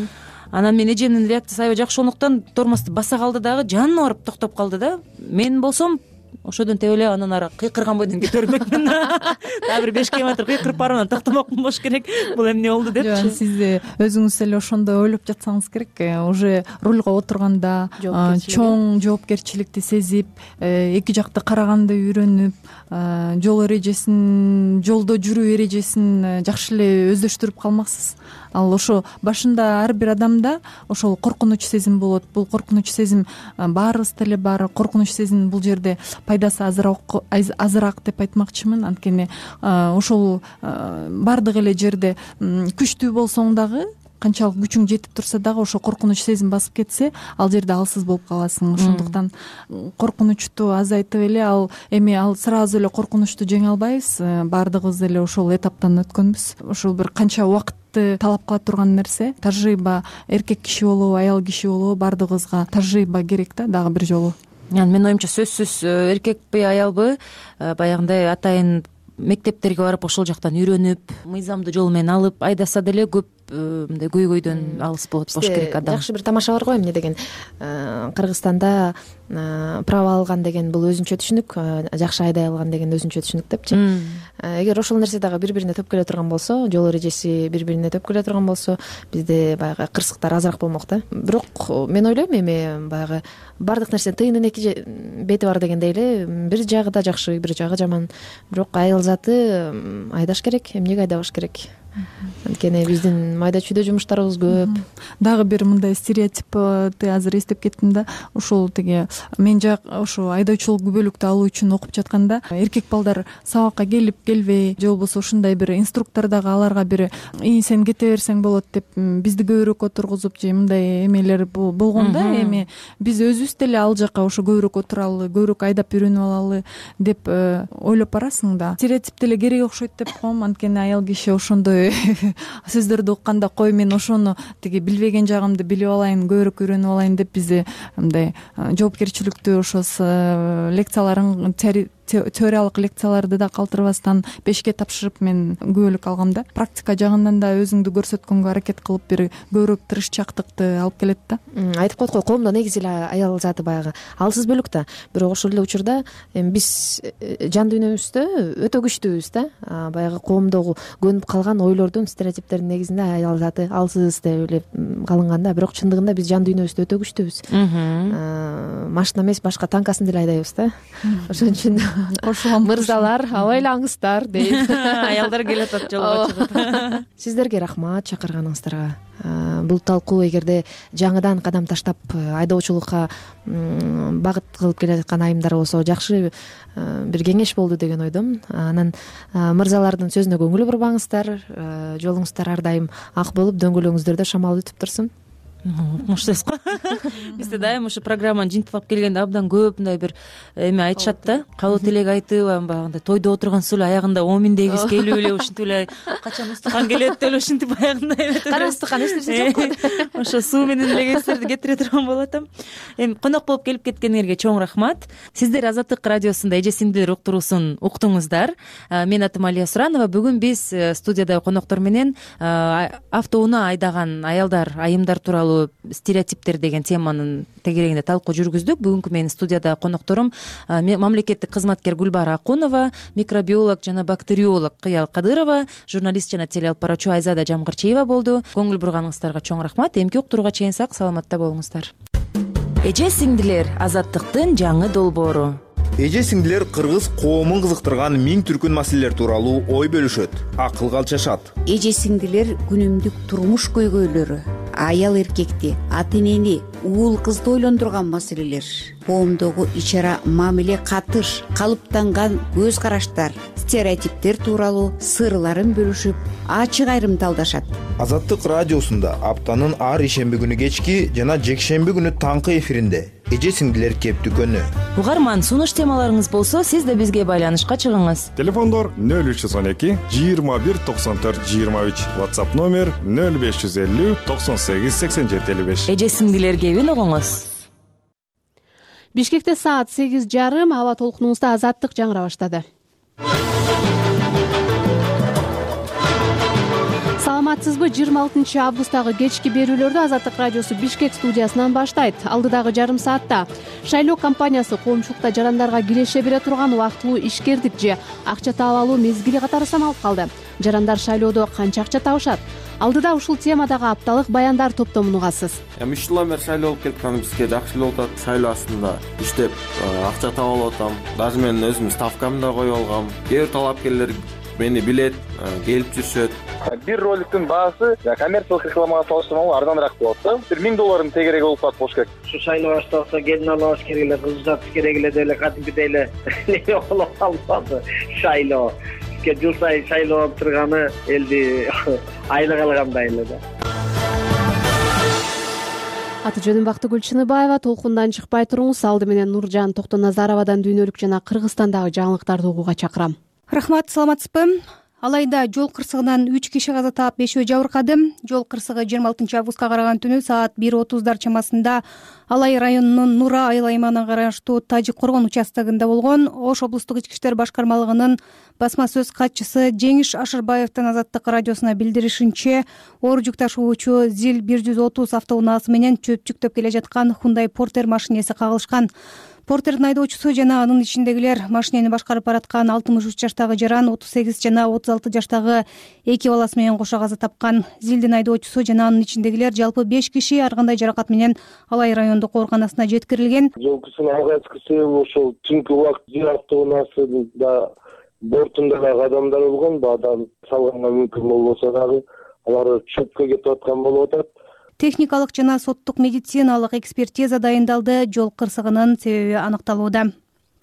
Анан мен эжемдин реакциясы аябай жакшы, ошондуктан тормозду баса калды дагы жанына барып токтоп калды да. Мен болсом ошодон теп эле анан ары кыйкырган бойдон кете бермекмин. Дагы бир беш километр кыйкырып барып анан токтомокмун болуш керек. Бул эмне болду депчи. Сиз өзүңүз эле ошондой ойлоп жатсаңыз керек. Уже рульга отурганда чоң жоопкерчиликти сезип, эки жакты караганды үйрөнүп, жол эрежесин, жолдо жүрүү эрежесин жакшы эле өздөштүрүп калмаксыз. Ал ошо башында ар бир адамда ошол коркунуч сезим болот. Бул коркунуч сезим баарыбызда эле бар. Коркунуч сезим бул жерде пайдасы азыраак азыраак деп айтмакчымын. Анткени ошол баардык эле жерде күчтүү болсоң дагы, канчалык күчүң жетип турса дагы ошо коркунуч сезим басып кетсе, ал жерде алсыз болуп каласың. Ошондуктан коркунучту азайтып эле, ал эми ал сразу эле коркунучту жеңе албайбыз. Баардыгыбыз эле ошол этаптан өткөнбүз. Ошол бир канча убакыт талап кыла турган нерсе. Тажрыйба, эркек киши болобу, аял киши болобу, баардыгыбызга тажрыйба керек да, дагы бир жолу. Менин оюмча сөзсүз эркекпи аялбы баягындай атайын мектептерге барып ошол жактан үйрөнүп, мыйзамдуу жол менен алып айдаса деле көп мындай көйгөйдөн алыс болот болуш керек адам. Жакшы бир тамаша бар го, эмне деген, Кыргызстанда право алган деген бул өзүнчө түшүнүк, жакшы айдай алган деген өзүнчө түшүнүк депчи. Эгер ошол нерсе дагы бири бирине төп келе турган болсо, жол эрежеси бири бирине төп келе турган болсо, бизде баягы кырсыктар азыраак болмок да. Бирок мен ойлойм, эми баягы баардык нерсенин тыйынын эки бети бар дегендей эле, бир жагы да жакшы, бир жагы жаман. Бирок айыл заты айдаш керек, эмнеге айдабаш керек? Анткени биздин майда чүйдө жумуштарыбыз көп. Дагы бир мындай стереотипти азыр эстеп кеттим да. Ошол тиги мен жак ошо айдоочулук күбөлүктү алуу үчүн окуп жатканда, эркек балдар сабакка келип келбей, же болбосо ушундай бир инструктор дагы аларга бир ии сен кете берсең болот деп бизди көбүрөөк отургузуп же мындай эмелер болгон да. Эми биз өзүбүз деле ал жака ошо көбүрөөк отуралы, көбүрөөк айдап үйрөнүп алалы деп ойлоп барасың да. Стереотип деле керек окшойт деп коем. Анткени аял киши ошондой сөздөрдү укканда, кой мен ошону тиги билбеген жагымды билип алайын, көбүрөөк үйрөнүп алайын деп бизди мындай жоопкерчиликтүү ошо лекцияларын, теориялык лекцияларды да калтырбастан бешке тапшырып мен күбөлүк алгам да. Практика жагынан да өзүңдү көрсөткөнгө аракет кылып бир көбүрөөк тырышчаактыкты алып келет да. Айтып коет го, коомдо негизи эле аял заты баягы алсыз бөлүк да. Бирок ошол эле учурда эми биз жан дүйнөбүздө өтө күчтүүбүз да. Баягы коомдогу көнүп калган ойлордун, стереотиптердин негизинде аял заты алсыз деп эле калынган да. Бирок чындыгында биз жан дүйнөбүздө өтө күчтүүбүз. Машина эмес, башка танкасын деле айдайбыз да. Ошон үчүн мырзалар абайлаңыздар дейт. Аялдар келатат жолго чыгып. Сиздерге рахмат чакырганыңыздарга. Бул талкуу эгерде жаңыдан кадам таштап айдоочулукка багыт кылып келе жаткан айымдар болсо, жакшы бир кеңеш болду деген ойдомун. Анан мырзалардын сөзүнө көңүл бурбаңыздар, жолуңуздар ар дайым ак болуп, дөңгөлөгүңүздөрдө шамал өтүп турсун. укмуштуйбуз го. Бизде дайыма ушу программаны жыйынтыктап келгенде абдан көп мындай бир эме айтышат да, кабыл тилек айтып баягындай тойдо отургансыз эле аягында оминдей кыз келип эле ушинтип эле качан устукан келет деп эле ушинтип аягындай кара устукан эч нерсе жок. Ошо суу менен эле кездерди кетире турган болуп атам. Эми конок болуп келип кеткениңерге чоң рахмат. Сиздер Азаттык радиосунда эже сиңдилер уктуруусун уктуңуздар. Менин атым Алия Суранова. Бүгүн биз студияда коноктор менен автоунаа айдаган аялдар, айымдар тууралуу стереотиптер деген теманын тегерегинде талкуу жүргүздүк. Бүгүнкү менин студияда конокторум мамлекеттик кызматкер Гүлбара Акунова, микробиолог жана бактериолог Кыял Кадырова, журналист жана телеалып баруучу Айзада Жамгырчиева болду. Көңүл бурганыңыздарга чоң рахмат. Эмки уктурууга чейин сак саламатта болуңуздар. Эже сиңдилер Азаттыктын жаңы долбоору. Эже сиңдилер кыргыз коомун кызыктырган миң түркүн маселелер тууралуу ой бөлүшөт, акылга алчашат. Эже сиңдилер күнүмдүк турмуш көйгөйлөрү, аял эркекти, ата энени, уул кызды ойлондурган маселелер, коомдогу ичара мамиле катыш, калыптанган көз караштар, стереотиптер тууралуу сырларын бөлүшүп, ачык айрымдалдашат. Азаттык радиосунда аптанын ар ишемби күнү кечки жана жекшемби күнү таңкы эфиринде эже сиңдилер кептүкөнү. Угарман, сунуш темаларыңыз болсо, сиз да бизге байланышка чыгыңыз. Телефондор нөл үч жүз он эки жыйырма бир токсон төрт жыйырма үч, WhatsApp номер нөл беш жүз элүү токсон сегиз сексен жети элүү беш. Эже сиңдилер кебин угуңуз. Бишкекте саат сегиз жарым, аба толкунубузда Азаттык жаңыра баштады. Саламатсызбы? жыйырма алтынчы августтагы кечки берүүлөрдү Азаттык радиосу Бишкек студиясынан баштайт. Алдыдагы жарым саатта шайлоо компаниясы коомчулукта жарандарга киреше бере турган убактылуу ишкердик же акча таап алуу мезгили катары саналып калды. Жарандар шайлоодо канча акча табышат? Алдыда ушул темадагы апталык баяндар топтомун угасыз. Эми үч жылдан бери шайлоо болуп келатканым бизге жакшы эле болуп атат. Шайлоо астында иштеп акча таап алып атам. Даже мен өзүм ставкамды да коюп алгам. Кээ бир талапкерлер мени билет, келип жүрүшөт. Бир роликтин баасы коммерциялык рекламага салыштырмалуу арзаныраак болот да. Бир миң доллардын тегереги болуп калат болуш керек. Ушу шайлоо башталса келин алабыз керек эле, кыз uzatыш керек эле деп эле кадимкидей эле неме болуп калбады шайлоо. Бизге жыл сайын шайлоо болуп турганы элди айлык алгандай эле да. Аты жөнүм Бактыгүл Чыныбаева. Толкундан чыкпай туруңуз. Алды менен Нуржан Токтоназаровадан дүйнөлүк жана Кыргызстандагы жаңылыктарды угууга чакырам. Рахмат, саламатсызбы? Алайда жол кырсыгынан үч киши каза таап, бешөө жабыркады. Жол кырсыгы жыйырма алтынчы августка караган түнү саат бир отуздар чамасында Алай районунун Нура айыл аймагына караштуу Тажик Коргон участогунда болгон. Ош облустук ички иштер башкармалыгынын басма сөз катчысы Жеңиш Ашырбаевдин Азаттык радиосуна билдиришинче, оор жүк ташуучу Зил бир жүз отуз автоунаасы менен чөп жүктөп келе жаткан Hyundai Porter машинеси кагылышкан. Портердин айдоочусу жана анын ичиндегилер машинени башкарып бараткан алтымыш үч жаштагы жаран, отуз сегиз жана отуз алты жаштагы эки баласы менен кошо каза тапкан. Зилдин айдоочусу жана анын ичиндегилер жалпы беш киши ар кандай жаракат менен Алай райондук ооруканасына жеткирилген. Жол кырсыгынын алгачкысы ошол түнкү убакыт Зил автоунаасында бортунда дагы адамдар болгон. Бадан салганга мүмкүн болбосо дагы алар чөпкө кетип аткан болуп атат. Техникалык жана соттук медициналык экспертиза дайындалды. Жол кырсыгынын себеби аныкталууда.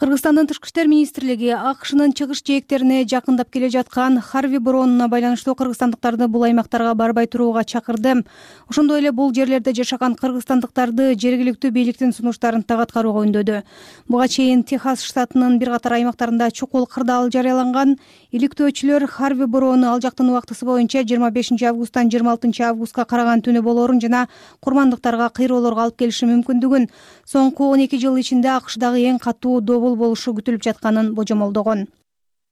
Кыргызстандын Тышкы иштер министрлиги АКШнын чыгыш жээктерине жакындап келе жаткан Харви бороонула байланыштуу кыргызстандыктарды бул аймактарга барбай турууга чакырды. Ошондой эле бул жерлерде жашаган кыргызстандыктарды жергиликтүү бийликтин сунуштарын так аткарууга үндөдү. Буга чейин Техас штатынын бир катар аймактарында чукул кырдаал жарыяланган. Иликтөөчүлөр Харви бороону ал жактын убактысы боюнча жыйырма бешинчи августтан жыйырма алтынчы августка караган түнү болоорун жана курмандыктарга кыйроолорго алып келиши мүмкүндүгүн, соңку он эки жыл ичинде АКШдагы эң катуу добул болушу күтүлүп жатканын божомолдогон.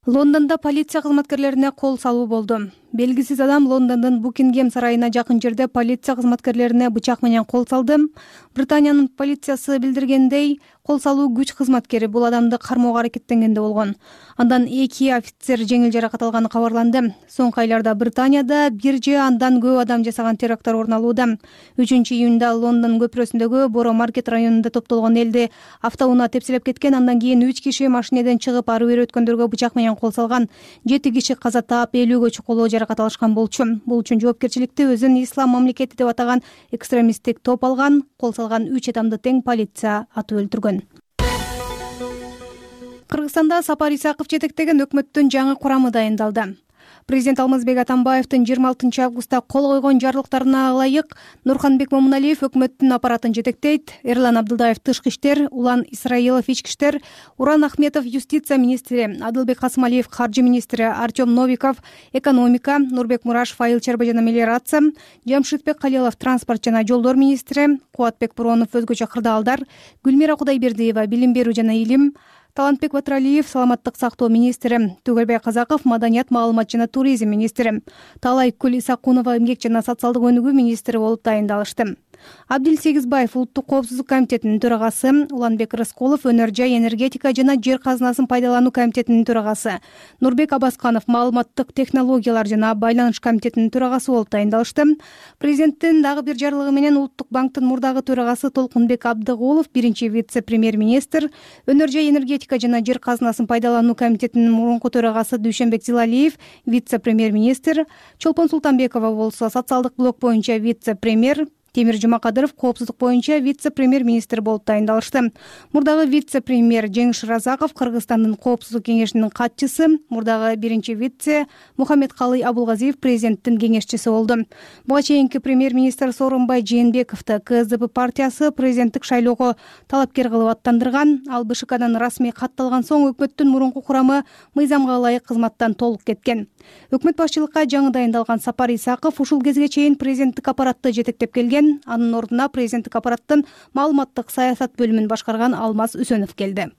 Лондондо полиция кызматкерлерине кол салуу болду. Белгисиз адам Лондондун Букингем сарайына жакын жерде полиция кызматкерлерине бычак менен кол салды. Британиянын полициясы билдиргендей, кол салуу күч кызматкери бул адамды кармоого аракеттенгенде болгон. Андан эки офицер жеңил жаракат алганы кабарланды. Соңку айларда Британияда бир же андан көп адам жасаган теракттар орун алууда. үчүнчү июнда Лондон көпүрөсүндөгү Боро Маркет районунда топтолгон элди автоунаа тепселеп кеткен. Андан кийин үч киши машинеден чыгып ары бери өткөндөргө бычак менен кол салган. жети киши каза таап, элүүгө чукулуу жаракат алышкан болчу. Бул үчүн жоопкерчиликти өзүн Ислам мамлекети деп атаган экстремисттик топ алган. Кол салган үч адамды тең полиция атып өлтүргөн. Кыргызстанда Сапар Исаков жетектеген өкмөттүн жаңы курамы дайындалды. Президент Алмазбек Атамбаевдин жыйырма алтынчы августта кол койгон жарлыктарына ылайык Нурханбек Момуналиев өкмөттүн аппаратын жетектейт. Эрлан Абдылдаев тышкы иштер, Улан Исраилов ички иштер, Уран Ахметов юстиция министри, Адылбек Касымалиев каржы министри, Артем Новиков экономика, Нурбек Мурашев айыл чарба жана мелиорация, Жамшитбек Калилов транспорт жана жолдор министри, Кубатбек Буронов өзгөчө кырдаалдар, Гүлмира Кудайбердиева билим берүү жана илим, Талантбек Батыралиев саламаттык сактоо министри, Түгөлбай Казаков маданият, маалымат жана туризм министри, Талай Күл Исакунова эмгек жана социалдык өнүгүү министри болуп дайындалышты. Абдил Сегизбаев улуттук коопсуздук комитетинин төрагасы, Уланбек Рыскулов өнөр жай, энергетика жана жер казынасын пайдалануу комитетинин төрагасы, Нурбек Абасканов маалыматтык технологиялар жана байланыш комитетинин төрагасы болуп дайындалышты. Президенттин дагы бир жарлыгы менен Улуттук банктын мурдагы төрагасы Толкунбек Абдыгулов биринчи вице-премьер-министр, өнөр жай, энергетика жана жер казынасын пайдалануу комитетинин мурунку төрагасы Дүйшөнбек Зилалиев вице-премьер-министр, Чолпон Султанбекова болсо социалдык блок боюнча вице-премьер, Темир Жумакадыров коопсуздук боюнча вице-премьер-министр болуп дайындалышты. Мурдагы вице-премьер Жеңиш Разаков Кыргызстандын коопсуздук кеңешинин катчысы, мурдагы биринчи вице Мухаммедкалый Абулгазиев президенттин кеңешчиси болду. Буга чейинки премьер-министр Сооронбай Жээнбековду КСДП партиясы президенттик шайлоого талапкер кылып аттандырган. Ал БШКдан расмий катталган соң өкмөттүн мурунку курамы мыйзамга ылайык кызматтан толук кеткен. Өкмөт башчылыкка жаңы дайындалган Сапар Исаков ушул кезге чейин президенттик аппаратты жетектеп келген. Анын ордуна президенттик аппараттын маалыматтык саясат бөлүмүн башкарган Алмаз Үсөнов келди.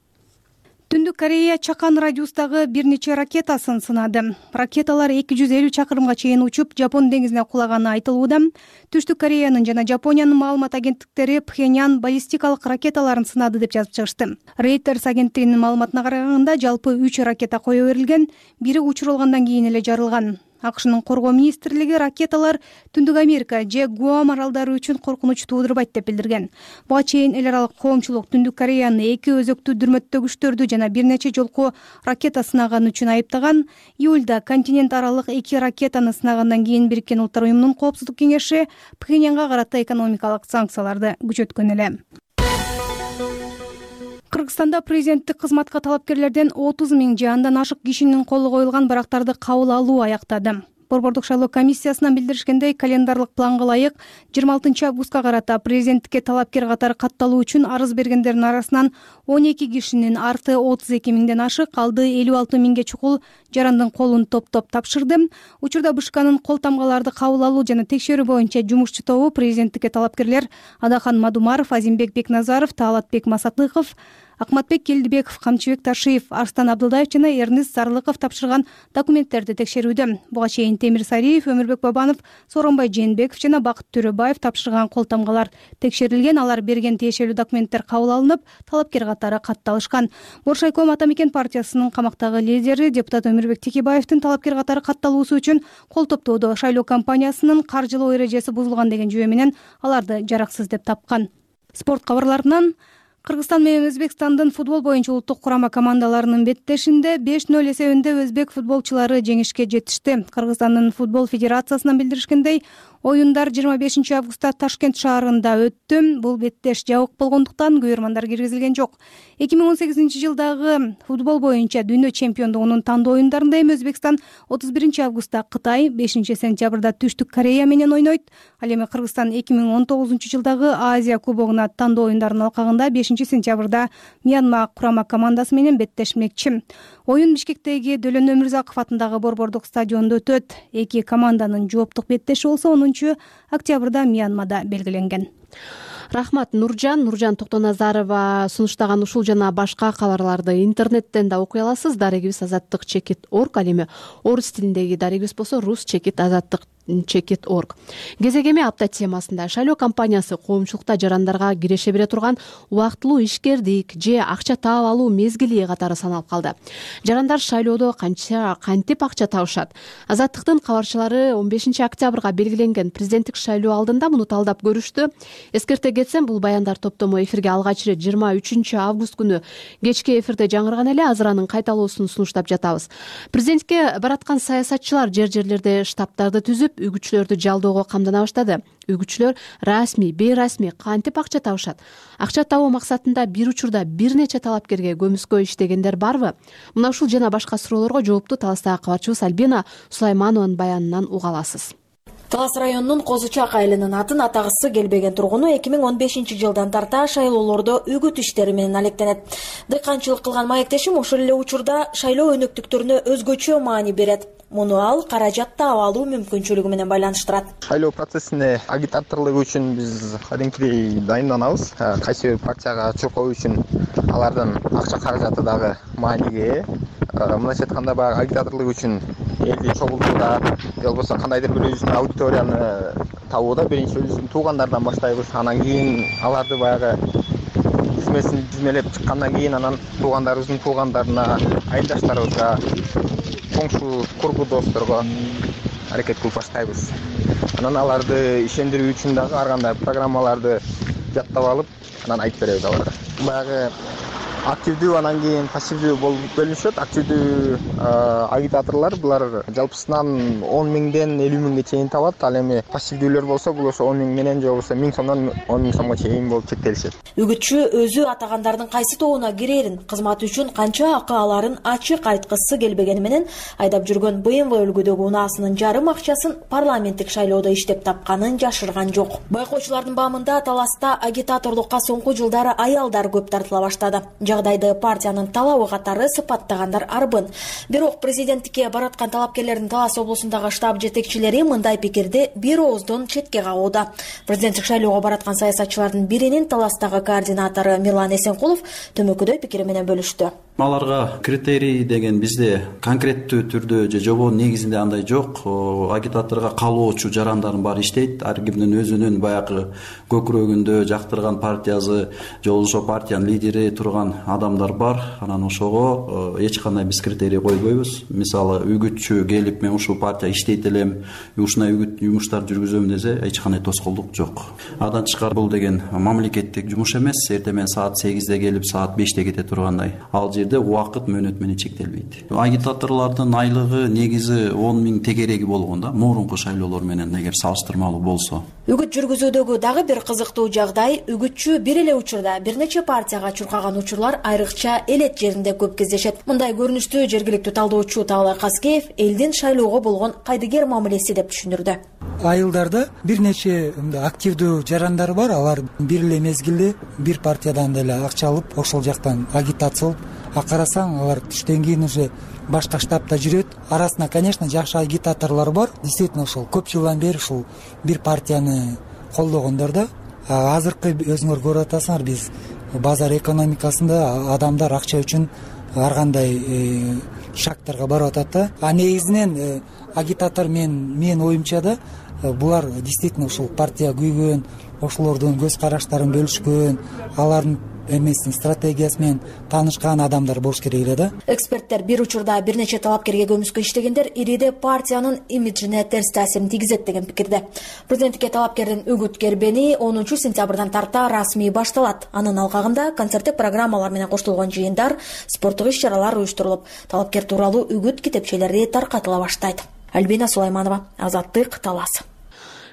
Түндүк Корея Чакан радиустагы бир нече ракетасын сынады. Ракеталар эки жүз элүү чакырымга чейин учуп, Жапон деңизине кулаганы айтылууда. Түштүк Кореянын жана Жапониянын маалымат агенттиктери Пхеньян баллистикалык ракеталарын сынады деп жазып чыгышты. Reuters агенттигинин маалыматына караганда, жалпы үч ракета кое берилген, бири учурулгандан кийин эле жарылган. АКШнын коргоо министрлиги ракеталар Түндүк Америка же Гуам аралдары үчүн коркунуч туудурбайт деп билдирген. Буга чейин эл аралык коомчулук Түндүк Кореяны эки өзөктүү дүрмөттөгүчтөрдү жана бир нече жолку ракета сынаганы үчүн айыптаган. Июлда континент аралык эки ракетаны сынагандан кийин Бириккен Улуттар уюмунун коопсуздук кеңеши Пхеньянга карата экономикалык санкцияларды күчөткөн эле. Кыргызстанда президенттик кызматка талапкерлерден отуз миң же андан ашык кишинин колу коюлган барактарды кабыл алуу аяктады. Борбордук шайлоо комиссиясынан билдиришкендей, календарлык планга ылайык жыйырма алтынчы августка карата президенттикке талапкер катары катталуу үчүн арыз бергендердин арасынан он эки кишинин арты отуз эки миңден ашык, калды элүү алты миңге чукул жарандын колун топтоп тапшырды. Учурда БШКнын кол тамгаларды кабыл алуу жана текшерүү боюнча жумушчу тобу президенттикке талапкерлер Адахан Мадумаров, Азимбек Бекназаров, Таалатбек Масатыков, Акматбек Келдибеков, Камчыбек Ташиев, Арстан Абдылдаев жана Эрнест Сарлыков тапшырган документтерди текшерүүдө. Буга чейин Темир Сариев, Өмүрбек Бабанов, Сооронбай Жээнбеков жана Бакыт Төрөбаев тапшырган кол тамгалар текшерилген. Алар берген тиешелүү документтер кабыл алынып, талапкер катары катталышкан. Боршайком Атамекен партиясынын камактагы лидери депутат Өмүрбек Текебаевдин талапкер катары катталуусу үчүн кол топтоодо шайлоо компаниясынын каржылоо эрежеси бузулган деген жүйө менен аларды жараксыз деп тапкан. Спорт кабарларынан Кыргызстан менен Өзбекстандын футбол боюнча улуттук курама командаларынын беттешинде беш ноль эсебинде өзбек футболчулары жеңишке жетишти. Кыргызстандын футбол федерациясынан билдиришкендей, оюндар жыйырма бешинчи августта Ташкент шаарында өттү. Бул беттеш жабык болгондуктан көйөрмандар киргизилген жок. эки миң он сегизинчи жылдагы футбол боюнча дүйнө чемпиондугунун тандоо оюндарында эми Өзбекстан отуз биринчи августта Кытай, бешинчи сентябрда Түштүк Корея менен ойнойт. Ал эми Кыргызстан эки миң он тогузунчу жылдагы Азия кубогуна тандоо оюндарынын алкагында бешинчи сентябрда Мьянма курама командасы менен беттешмекчи. Оюн Бишкектеги Дөлөн Өмүрзаков атындагы борбордук стадиондо өтөт. Эки команданын жооптук беттеши болсо онунчу октябрда Мьянмада белгиленген. Рахмат, Нуржан. Нуржан Токтоназарова сунуштаган ушул жана башка кабарларды интернеттен да окуй аласыз. Дарегибиз азаттык чекит точка орг, ал эми орус тилиндеги дарегибиз болсо рус чекит азаттык чекит точка орг. Кезегеме апта темасында шайлоо компаниясы коомчулукта жарандарга киреше бере турган убактылуу ишкердик же акча таап алуу мезгили катары саналып калды. Жарандар шайлоодо канча кантип акча табышат? Азаттыктын кабарчылары он бешинчи октябрга белгиленген президенттик шайлоо алдында муну талдап көрүштү. Эскерте кетсем, бул баяндар топтому эфирге алгач ирет жыйырма үчүнчү август күнү кечки эфирде жаңырган эле. Азыр анын кайталоосун сунуштап жатабыз. Президентке бараткан саясатчылар жер жерлерде штабтарды түзүп, көбөйүп үгүтчүлөрдү жалдоого камдана баштады. Үгүтчүлөр расмий, бейрасмий кантип акча табышат? Акча табуу максатында бир учурда бир нече талапкерге көмүскө иштегендер барбы? Мына ушул жана башка суроолорго жоопту Таластагы кабарчыбыз Альбина Сулайманованын баянынан уга аласыз. Талас районунун Козу Чак айылынын атын атагысы келбеген тургуну эки миң он бешинчи жылдан тарта шайлоолордо үгүт иштери менен алектенет. Дыйканчылык кылган маектешим ошол эле учурда шайлоо өнөктүктөрүнө өзгөчө маани берет. Муну ал каражат таап алуу мүмкүнчүлүгү менен байланыштырат. Шайлоо процессине агитаторлук үчүн биз кадимкидей дайынданабыз. Кайсы бир партияга чуркоо үчүн алардын акча каражаты дагы мааниге. Мындайча айтканда баягы агитаторлук үчүн элди чогултууда, же болбосо кандайдыр бир өзүнүн аудиторияны табууда биринчи өзүнүн туугандарынан баштайбыз. Анан кийин аларды баягы тизмесин тизмелеп чыккандан кийин анан туугандарыбыздын туугандарына, айылдаштарыбызга, коңшу кургу досторго аракет кылып баштайбыз. Анан аларды ишендирүү үчүн дагы ар кандай программаларды жаттап алып, анан айтып беребиз аларга. Баягы активдүү, анан кийин пассивдүү болуп бөлүнүшөт. Активдүү агитаторлор булар жалпысынан он миңден элүү миңге чейин табат. Ал эми пассивдүүлөр болсо, бул ошо он миң менен же болбосо миң сомдон он миң сомго чейин болуп чектелишет. Үгүтчү өзү атагандардын кайсы тобуна кирерин, кызмат үчүн канча акы аларын ачык айткысы келбегени менен айдап жүргөн бэ эм вэ үлгүдөгү унаасынын жарым акчасын парламенттик шайлоодо иштеп тапканын жашырган жок. Байкоочулардын баамында Таласта агитаторлукка соңку жылдары аялдар көп тартыла баштады. Жагдайды партиянын талабы катары сыпаттагандар арбын. Бирок президенттикке бараткан талапкерлердин Талас облусундагы штаб жетекчилери мындай пикирди бир ооздон четке кагууда. Президенттик шайлоого бараткан саясатчылардын биринин Таластагы координатору Мирлан Эсенкулов төмөкүдөй пикири менен бөлүштү. Аларга критерий деген бизде конкреттүү түрдө же жобо негизинде андай жок. Агитаторго калоочу жарандардын баары иштейт. Ар кимдин өзүнүн баягы көкүрөгүндө жактырган партиясы же болбосо партиянын лидери турган адамдар бар. Анан ошого эч кандай биз критерий койбойбуз. Мисалы үгүтчү келип мен ушул партия иштейт элем, ушундай үгүт жумуштар жүргүзөм десе эч кандай тоскоолдук жок. Адан тышкары бул деген мамлекеттик жумуш эмес. Эртең менен саат сегизде келип саат беште кете тургандай. Ал жерде убакыт мөөнөт менен чектелбейт. Агитаторлордун айлыгы негизи он миң тегереги болгон да, мурунку шайлоолор менен эгер салыштырмалуу болсо. Үгүт жүргүзүүдөгү дагы бир кызыктуу жагдай, үгүтчү бир эле учурда бир нече партияга чуркаган учурлар айрыкча элет жеринде көп кездешет. Мындай көрүнүштү жергиликтүү талдоочу Таалай Казкеев элдин шайлоого болгон кайдыгер мамилеси деп түшүндүрдү. Айылдарда бир нече активдүү жарандар бар. Алар бир эле мезгилде бир партиядан деле акча алып, ошол жактан агитация кылып, а карасаң алар түштөн кийин уже башка штабта жүрөт. Арасында, конечно, жакшы агитаторлор бар. Действительно, ошол көп жылдан бери ушул бир партияны колдогондор да. Азыркы өзүңөр көрүп атасыңар, биз базар экономикасында адамдар акча үчүн ар кандай шактарга барып атат да. А негизинен агитатор мен менин оюмча да булар действительно ушул партия күйгөн, ошолордун көз караштарын бөлүшкөн, алардын эмесин стратегиясы менен таанышкан адамдар болуш керек эле да. Эксперттер бир учурда бир нече талапкерге көмүскө иштегендер ириде партиянын имиджине терс таасирин тийгизет деген пикирде. Президенттикке талапкердин үгүт кербени онунчу сентябрдан тарта расмий башталат. Анын алкагында концерттик программалар менен коштолгон жыйындар, спорттук иш-чаралар уюштурулуп, талапкер тууралуу үгүт китепчелери таркатыла баштайт. Альбина Сулайманова, Азаттык, Талас.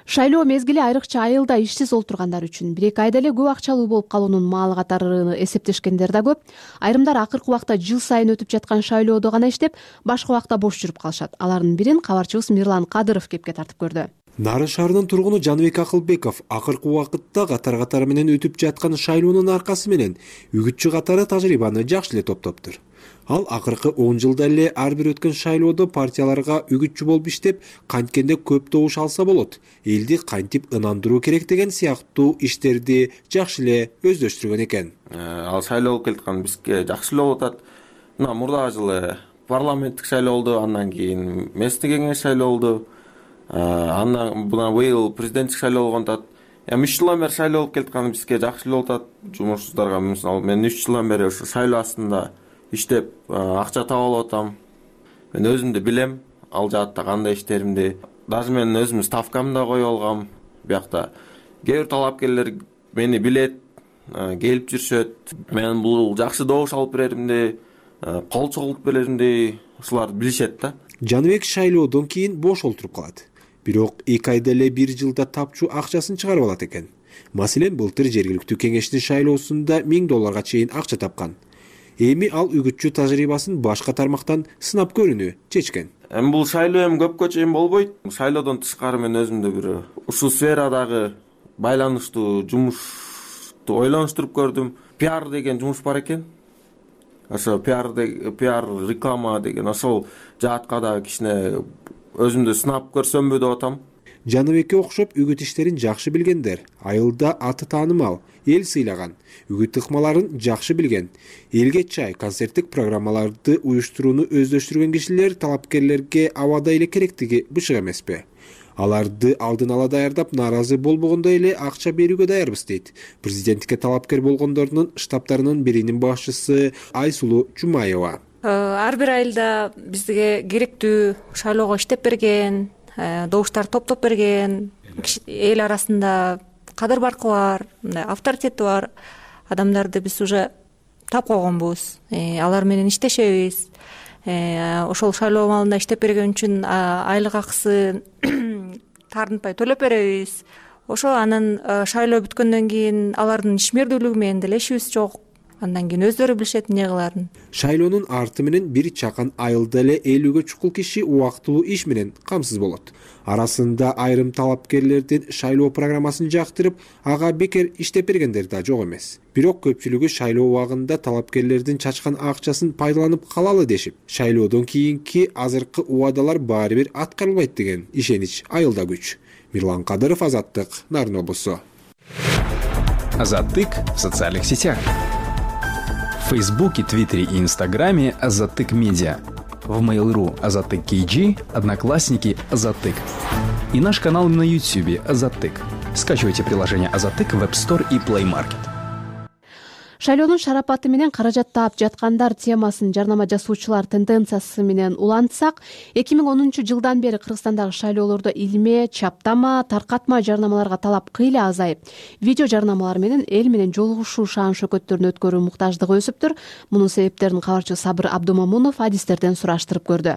Шайлоо мезгили айрыкча айылда ишсиз олтургандар үчүн бир эки айда эле көп акчалуу болуп калуунун маалы катары эсептешкендер да көп. Айрымдар акыркы убакта жыл сайын өтүп жаткан шайлоодо гана иштеп, башка убакта бош жүрүп калышат. Алардын бирин кабарчыбыз Мирлан Кадыров кепке тартып көрдү. Нарын шаарынын тургуну Жаныбек Акылбеков акыркы убакытта катар-катары менен өтүп жаткан шайлоонун аркасы менен үгүтчү катары тажрыйбаны жакшы эле топтоптур. Ал акыркы он жылда эле ар бир өткөн шайлоодо партияларга үгүтчү болуп иштеп, канткенде көп добуш алса болот, элди кантип ынандыруу керек деген сыяктуу иштерди жакшы эле өздөштүргөн экен. Ал шайлоо болуп келаткан бизге жакшы эле болуп атат. Мына мурдагы жылы парламенттик шайлоо болду, андан кийин местный кеңеш шайлоо болду. Андан мына быйыл президенттик шайлоо болгон атат. Эми үч жылдан бери шайлоо болуп келаткан бизге жакшы эле болуп атат. Жумушчуларга мисалы мен үч жылдан бери ошо шайлоо астында иштеп акча таап алып атам. Мен өзүм да билем ал жаатта кандай иштеримди. Даже мен өзүм ставкамды да коюп алгам. Биякта кээ бир талапкерлер мени билет, келип жүрүшөт. Мен бул жакшы добуш алып береримди, кол чогултуп береримди, ушуларды билишет да. Жаныбек шайлоодон кийин бош олтуруп калат. бирок эки айда эле бир жылда тапчу акчасын чыгарып алат экен. Маселен, былтыр жергиликтүү кеңештин шайлоосунда миң долларга чейин акча тапкан. Эми ал үгүтчү тажрыйбасын башка тармактан сынап көрүүнү чечкен. Эми бул шайлоо эми көпкө чейин болбойт. Шайлоодон тышкары мен өзүмдө бир ушул сферадагы байланыштуу жумушту ойлонуштуруп көрдүм. Пиар деген жумуш бар экен. Ошо пиар пиар реклама деген ошол жаатка да кичине өзүмдү сынап көрсөмбү деп атам. Жаныбекке окшоп үгүт иштерин жакшы билгендер, айылда аты таанымал, эл сыйлаган, үгүт ыкмаларын жакшы билген, элге чай, концерттик программаларды уюштурууну өздөштүргөн кишилер талапкерлерге абада эле керектиги бышык эмеспи? Аларды алдын ала даярдап, нааразы болбогондой эле акча берүүгө даярбыз дейт президенттикке талапкер болгондордун штабтарынын биринин башчысы Айсулуу Жумаева. Ар бир айылда бизге керектүү шайлоого иштеп берген, добуштар топтоп берген, эл арасында кадыр баркы бар, мындай авторитети бар адамдарды биз уже таап койгонбуз. Алар менен иштешебиз. Ошол шайлоо маалында иштеп берген үчүн айлык акысын тартынпай төлөп беребиз. Ошо анан шайлоо бүткөндөн кийин алардын ишмердүүлүгү менен деле ишибиз жок. Андан кийин өздөрү билишет эмне кылаарын. Шайлоонун арты менен бир чакан айылда эле элүүгө чукул киши убактылуу иш менен камсыз болот. Арасында айрым талапкерлердин шайлоо программасын жактырып, ага бекер иштеп бергендер да жок эмес. Бирок көпчүлүгү шайлоо убагында талапкерлердин чачкан акчасын пайдаланып калалы дешип, шайлоодон кийинки азыркы убадалар баары бир аткарылбайт деген ишенич айылда күч. Мирлан Кадыров, Азаттык, Нарын облусу. Азаттык в социальных сетях. В Фейсбуке, Твиттере и Инстаграме Азаттык Медиа. В Mail.ru Азаттык кей джи, Одноклассники Азаттык. И наш канал на Ютубе Азаттык. Скачивайте приложение Азаттык в App Store и Play Market. Шайлоонун шарапаты менен каражат таап жаткандар темасын жарнама жасоочулар тенденциясы менен улантсак, эки миң онунчу жылдан бери Кыргызстандагы шайлоолордо илме, чаптама, таркатма жарнамаларга талап кыйла азайып, видео жарнамалар менен эл менен жолугушуу шаан шөкөттөрүн өткөрүү муктаждыгы өсүптүр. Мунун себептерин кабарчы Сабыр Абдумамунов адистерден сураштырып көрдү.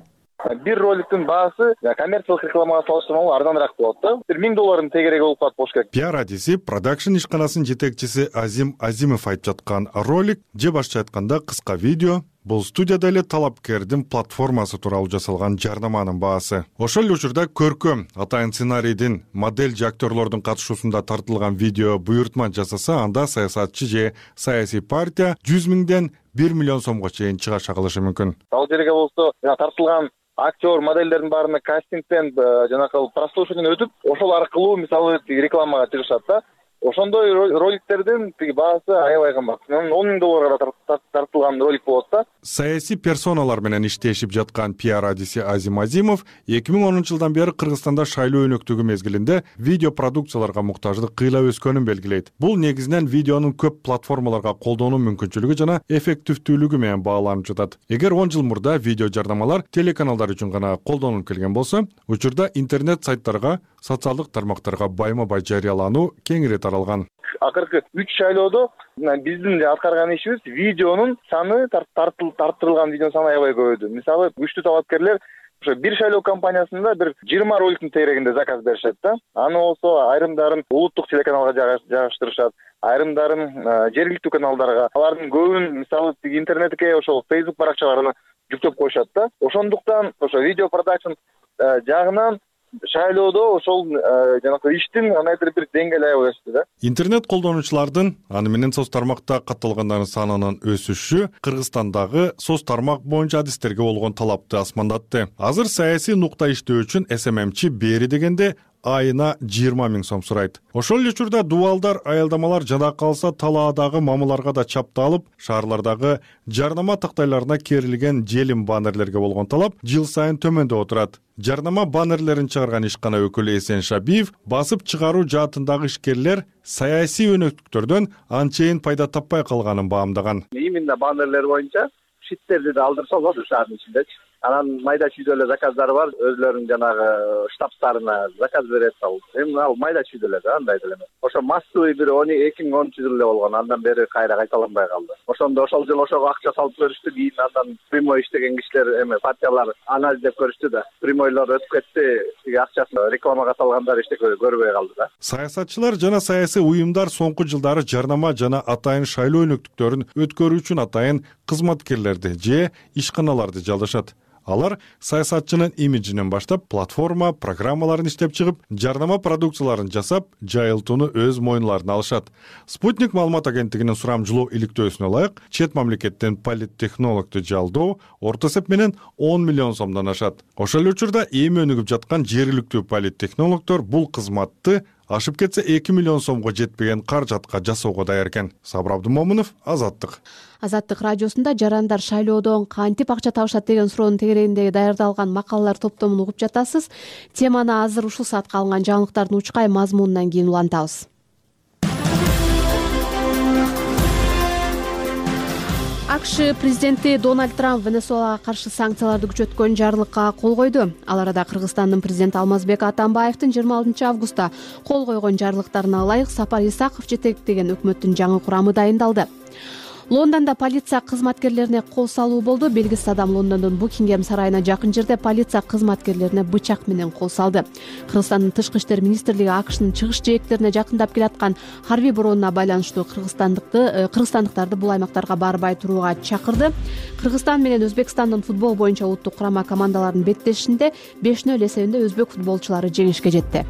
Бир роликтин баасы коммерциялык рекламага салыштырмалуу арзаныраак болот да. бир миң доллардын тегереги болуп калат болуш керек. Пиар адиси продакшн ишканасынын жетекчиси Азим Азимов айтып жаткан ролик, же башкача айтканда кыска видео, бул студияда эле талапкердин платформасы тууралуу жасалган жарнаманын баасы. Ошол эле учурда көркөм атайын сценарийдин модель же актерлордун катышуусунда тартылган видео буйртма жасаса, анда саясатчы же саясий партия жүз миңден бир миллион сомго чейин чыгаш кылышы мүмкүн. Ал жерге болсо тартылган актер, моделдердин баарына кастингден жанагы прослушиваниеден өтүп, ошол аркылуу мисалы рекламага чыгышат да. Ошондой роликтердин тиги баасы аябай кымбат. он миң долларга тартылган ролик болот да. Саясий персоналар менен иштешип жаткан пиар адиси Азим Азимов эки миң онунчу жылдан бери Кыргызстанда шайлоо өнөктүгү мезгилинде видео продукцияларга муктаждык кыйла өскөнүн белгилейт. Бул негизинен видеонун көп платформаларга колдонуу мүмкүнчүлүгү жана эффективдүүлүгү менен бааланып жатат. Эгер он жыл мурда видео жарнамалар телеканалдар үчүн гана колдонулуп келген болсо, учурда интернет сайттарга, социалдык тармактарга байма-бай жарыялануу кеңири таралган. Акыркы үч шайлоодо биздин аткарган ишибиз видеонун саны тарттырылган видеонун саны аябай көбөйдү. Мисалы, күчтүү талапкерлер ошо бир шайлоо компаниясында бир жыйырма роликтин тегерегинде заказ беришет да. Аны болсо айрымдарын улуттук телеканалга жайгаштырышат, айрымдарын жергиликтүү каналдарга, алардын көбүн мисалы интернетке ошол Facebook баракчаларына жүктөп коюшат да. Ошондуктан ошо видео продакшн жагынан шайлоодо ошол жанагы иштин кандайдыр бир деңгээли аябай өстү да. Интернет колдонуучулардын, аны менен соц тармакта катталгандардын санынын өсүшү Кыргызстандагы соц тармак боюнча адистерге болгон талапты асмандатты. Азыр саясий нукта иштөө үчүн эс эм эм чи бери дегенде айына жыйырма миң сом сурайт. Ошол эле учурда дубалдар, аялдамалар жана калса талаадагы мамыларга да чапталып, шаарлардагы жарнама тактайларына керилген желим баннерлерге болгон талап жыл сайын төмөндөп отурат. Жарнама баннерлерин чыгарган ишкана өкүлү Эсен Шабиев басып чыгаруу жаатындагы ишкерлер саясий өнөктүктөрдөн анчейин пайда таппай калганын баамдаган. Именно баннерлер боюнча шиттерди да алдырса болот шаардын ичиндечи. Анан майда чүйдө эле заказдары бар, өзлөрүнүн жанагы штабтарына заказ берет ал. Эми ал майда чүйдө эле да, андай деле эмес. Ошо массовый бир эки миң онунчу жылы эле болгон. Андан бери кайра кайталанбай калды. Ошондо ошол жылы ошого акча салып көрүштү, кийин андан прямой иштеген кишилер эме партиялар анализдеп көрүштү да. Прямойлор өтүп кетти, тиги акчасын рекламага салгандар эчтеке көрбөй калды да. Саясатчылар жана саясий уюмдар соңку жылдары жарнама жана атайын шайлоо өнөктүктөрүн өткөрүү үчүн атайын кызматкерлерди же ишканаларды жалдашат. Алар саясатчынын имиджинен баштап платформа, программаларын иштеп чыгып, жарнама продукцияларын жасап, жайылтууну өз мойнуна алышат. Спутник маалымат агенттигинин сурамжылоо иликтөөсүнө ылайык, чет мамлекеттен политтехнологду жалдоо орто эсеп менен он миллион сомдон ашат. Ошол эле учурда эми өнүгүп жаткан жергиликтүү политтехнологдор бул кызматты ашып кетсе эки миллион сомго жетпеген каражатка жасоого даяр экен. Сабыр Абдымомунов, Азаттык. Азаттык радиосунда жарандар шайлоодон кантип акча табышат деген суроонун тегерегиндеги даярдалган макалалар топтомун угуп жатасыз. Теманы азыр ушул саатка алынган жаңылыктардын учкай мазмунунан кийин улантабыз. АКШ президенти Дональд Трамп Венесуэлага каршы санкцияларды күчөткөн жарлыкка кол койду. Ал арада Кыргызстандын президенти Алмазбек Атамбаевдин жыйырма алтынчы августта кол койгон жарлыктарына ылайык Сапар Исаков жетектеген өкмөттүн жаңы курамы дайындалды. Лондондо полиция кызматкерлерине кол салуу болду. Белгисиз адам Лондондун Букингем сарайына жакын жерде полиция кызматкерлерине бычак менен кол салды. Кыргызстандын тышкы иштер министрлиги АКШнын чыгыш жээктерине жакындап келаткан Харвей борооnuна байланыштуу кыргызстандыкты кыргызстандыктарды бул аймактарга барбай турууга чакырды. Кыргызстан менен Өзбекстандын футбол боюнча улуттук курама командаларынын беттешинде беш нөл эсебинде өзбек футболчулары жеңишке жетти.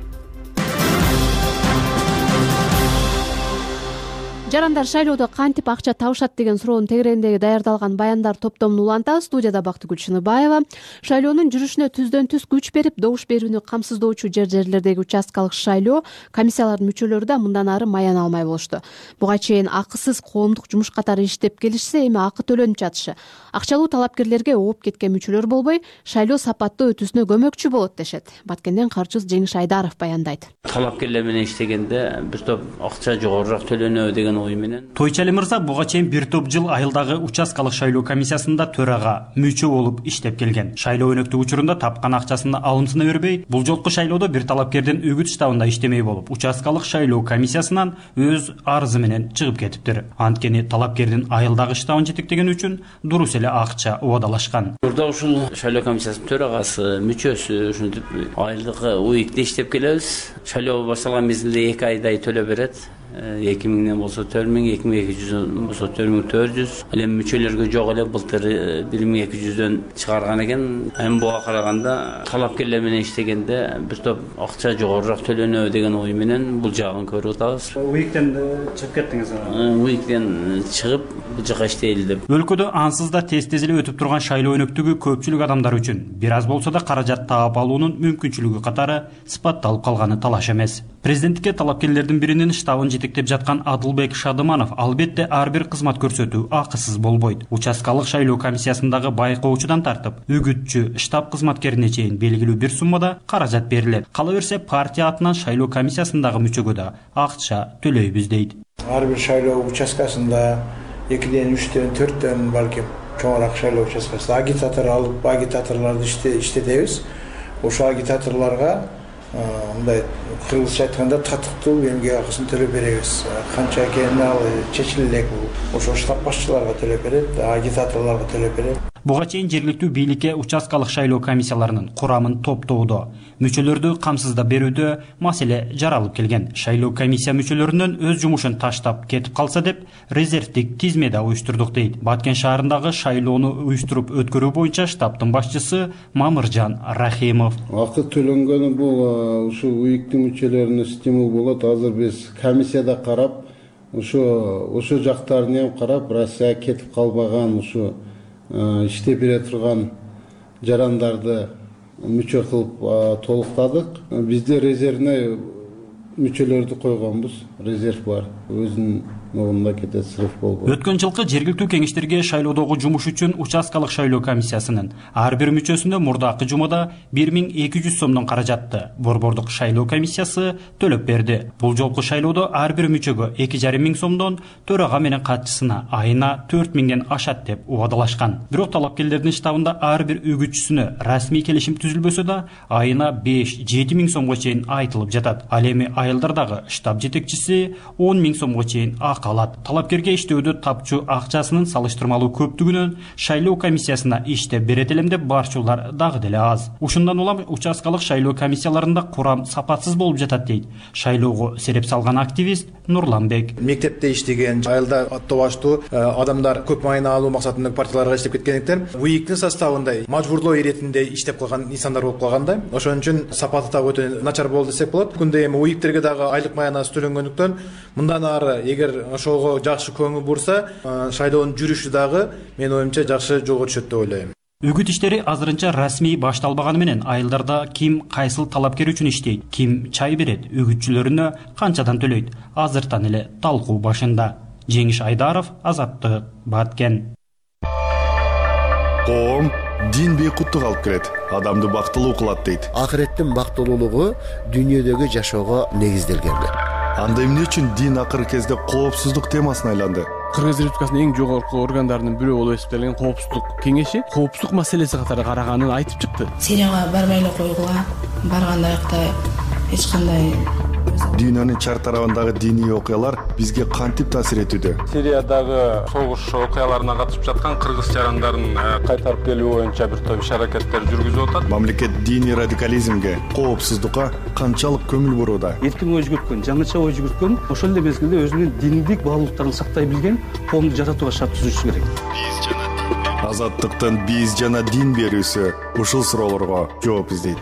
Жарандар шайлоодо кантип акча табышат деген суроонун тегерегиндеги даярдалган баяндар топтомун улантабыз. Студияда Бактыгүл Чыныбаева. Шайлоонун жүрүшүнө түздөн түз күч берип, добуш берүүнү камсыздоочу жер-жерлердеги участкалык шайлоо комиссияларынын мүчөлөрү да мындан ары маян алмай болушту. Буга чейин акысыз коомдук жумуш катары иштеп келишсе, эми акы төлөнүп жатышы. Акчалуу талапкерлерге ооп кеткен мүчөлөр болбой, шайлоо сапаттуу өтүүсүнө көмөкчү болот дешет. Баткенден карчыз Жеңиш Айдаров баяндайт. Талапкерлер менен иштегенде бир топ акча жогорураак төлөнөбү деген ой менен. Тойчали мырза буга чейин бир топ жыл айылдагы участкалык шайлоо комиссиясында төрага, мүчө болуп иштеп келген. Шайлоо өнөктүк учурунда тапкан акчасын алымсына бербей, бул жолку шайлоодо бир талапкердин үгүт штабында иштемей болуп, участкалык шайлоо комиссиясынан өз арызы менен чыгып кетиптир. Анткени талапкердин айылдагы штабын жетектеген үчүн дурус эле акча убадалашкан. Мурда ушул шайлоо комиссиясынын төрагасы, мүчөсү ушинтип айылдык уикте иштеп келебиз. Шайлоо башталган мезгилде эки айдай төлөп берет. эки миңден болсо төрт миң, эки миң эки жүздөн болсо төрт миң төрт жүз. Ал эми мүчөлөргө жок эле былтыр бир миң эки жүздөн чыгарган экен. Эми буга караганда талапкерлер менен иштегенде бир топ акча жогорураак төлөнөбү деген ой менен бул жагын көрүп атабыз. Уиктен чыгып кеттиңиз. Уиктен чыгып бул жака иштейли деп. Өлкөдө ансыз да тез-тез эле өтүп турган шайлоо өнөктүгү көпчүлүк адамдар үчүн бир аз болсо да каражат таап алуунун мүмкүнчүлүгү катары сыпатталып калганы талаш эмес. Президенттикке талапкерлердин биринин штабын жетектеп жаткан Адылбек Шадыманов албетте ар бир кызмат көрсөтүү акысыз болбойт. Участкалык шайлоо комиссиясындагы байкоочудан тартып, үгүтчү, штаб кызматкерине чейин белгилүү бир суммада каражат берилет. Кала берсе партия атынан шайлоо комиссиясындагы мүчөгө да акча төлөйбүз дейт. Ар бир шайлоо участкасында экиден, үчтөн, төрттөн балким чоңураак шайлоо участкасында агитатор алып, агитаторлорду иштетебиз. Ошол агитаторлорго мындай кыргызча айтканда татыктуу эмгек акысын төлөп беребиз. Канча экени ал чечиле элек бул. Ошо штаб башчыларга төлөп берет, агитаторлорго төлөп берет. Буга чейин жергиликтүү бийликке участкалык шайлоо комиссияларынын курамын топтоодо, мүчөлөрдү камсыздап берүүдө маселе жаралып келген. Шайлоо комиссия мүчөлөрүнүн өз жумушун таштап кетип калса деп резервдик тизме да уюштурдук дейт. Баткен шаарындагы шайлоону уюштуруп өткөрүү боюнча штабтын башчысы Мамыржан Рахимов. Акы төлөнгөнү бул ушул уиктин мүчөлөрүнө стимул болот. Азыр биз комиссияда карап, ошо ошо жактарын эм карап, Россия кетип калбаган ушу иштеп бере турган жарандарды мүчө кылып толуктадык. Бизде резервне мүчөлөрдү койгонбуз. Резерв бар. Өзүнүн мамлекетте срыв болбойт. Өткөн жылкы жергиликтүү кеңештерге шайлоодогу жумуш үчүн участкалык шайлоо комиссиясынын ар бир мүчөсүнө мурдакы жумада бир миң эки жүз сомдон каражатты борбордук шайлоо комиссиясы төлөп берди. Бул жолку шайлоодо ар бир мүчөгө эки жарым миң сомдон, төрага менен катчысына айына төрт миңден ашат деп убадалашкан. Бирок талапкерлердин штабында ар бир үгүтчүсүнө расмий келишим түзүлбөсө да айына беш жети миң сомго чейин айтылып жатат. Ал эми айылдар дагы штаб жетекчиси он миң сомго чейин акы алат. Талапкерге иштөөдө тапчу акчасынын салыштырмалуу көптүгүнөн шайлоо комиссиясына иштеп берет элем деп барчулар дагы деле аз. Ушундан улам участкалык шайлоо комиссияларында курам сапатсыз болуп жатат дейт шайлоого сереп салган активист Нурланбек. Мектепте иштеген, айылда аттоо баштуу адамдар көп майына алуу максатында партияларга иштеп кеткендиктен УИКтин составында мажбурлоо иретинде иштеп калган инсандар болуп калганда, ошон үчүн сапаты дагы өтө начар болду десек болот. Күндө эми УИКтерге дагы айлык маянасы төлөнгөндүктөн мындан ары эгер ошого жакшы көңүл бурса, шайлоонун жүрүшү дагы менин оюмча жакшы жолго түшөт деп ойлойм. Үгүт иштери азырынча расмий башталбаганы менен айылдарда ким кайсыл талапкер үчүн иштейт, ким чай берет, үгүтчүлөрүнө канчадан төлөйт азыртан эле талкуу башында. Жеңиш Айдаров, Азаттык, Баткен. Коом дин бейкуттук алып келет, адамды бактылуу кылат дейт. Акыреттин бактылуулугу дүйнөдөгү жашоого негизделген. Анда эмне үчүн дин акыркы кезде коопсуздук темасына айланды? Кыргыз Республикасынын эң жогорку органдарынын бирөө болуп эсептелген коопсуздук кеңеши коопсуздук маселеси катары караганын айтып чыкты. Сирияга барбай эле койгула, барганда аякта эч кандай Дүйнөнүн чар тарабындагы диний окуялар бизге кантип таасир этүүдө? Сириядагы согуш окуяларына катышып жаткан кыргыз жарандарын кайтарып келүү боюнча бир топ иш-аракеттер жүргүзүп атат. Мамлекет диний радикализмге, коопсуздукка канчалык көңүл бурууда? Эркин ой жүгүрткөн, жаңыча ой жүгүрткөн, ошол эле мезгилде өзүнүн диндик баалуулуктарын сактай билген коомду жаратууга шарт түзүшү керек. Азаттыктын биз жана дин берүүсү ушул суроолорго жооп издейт.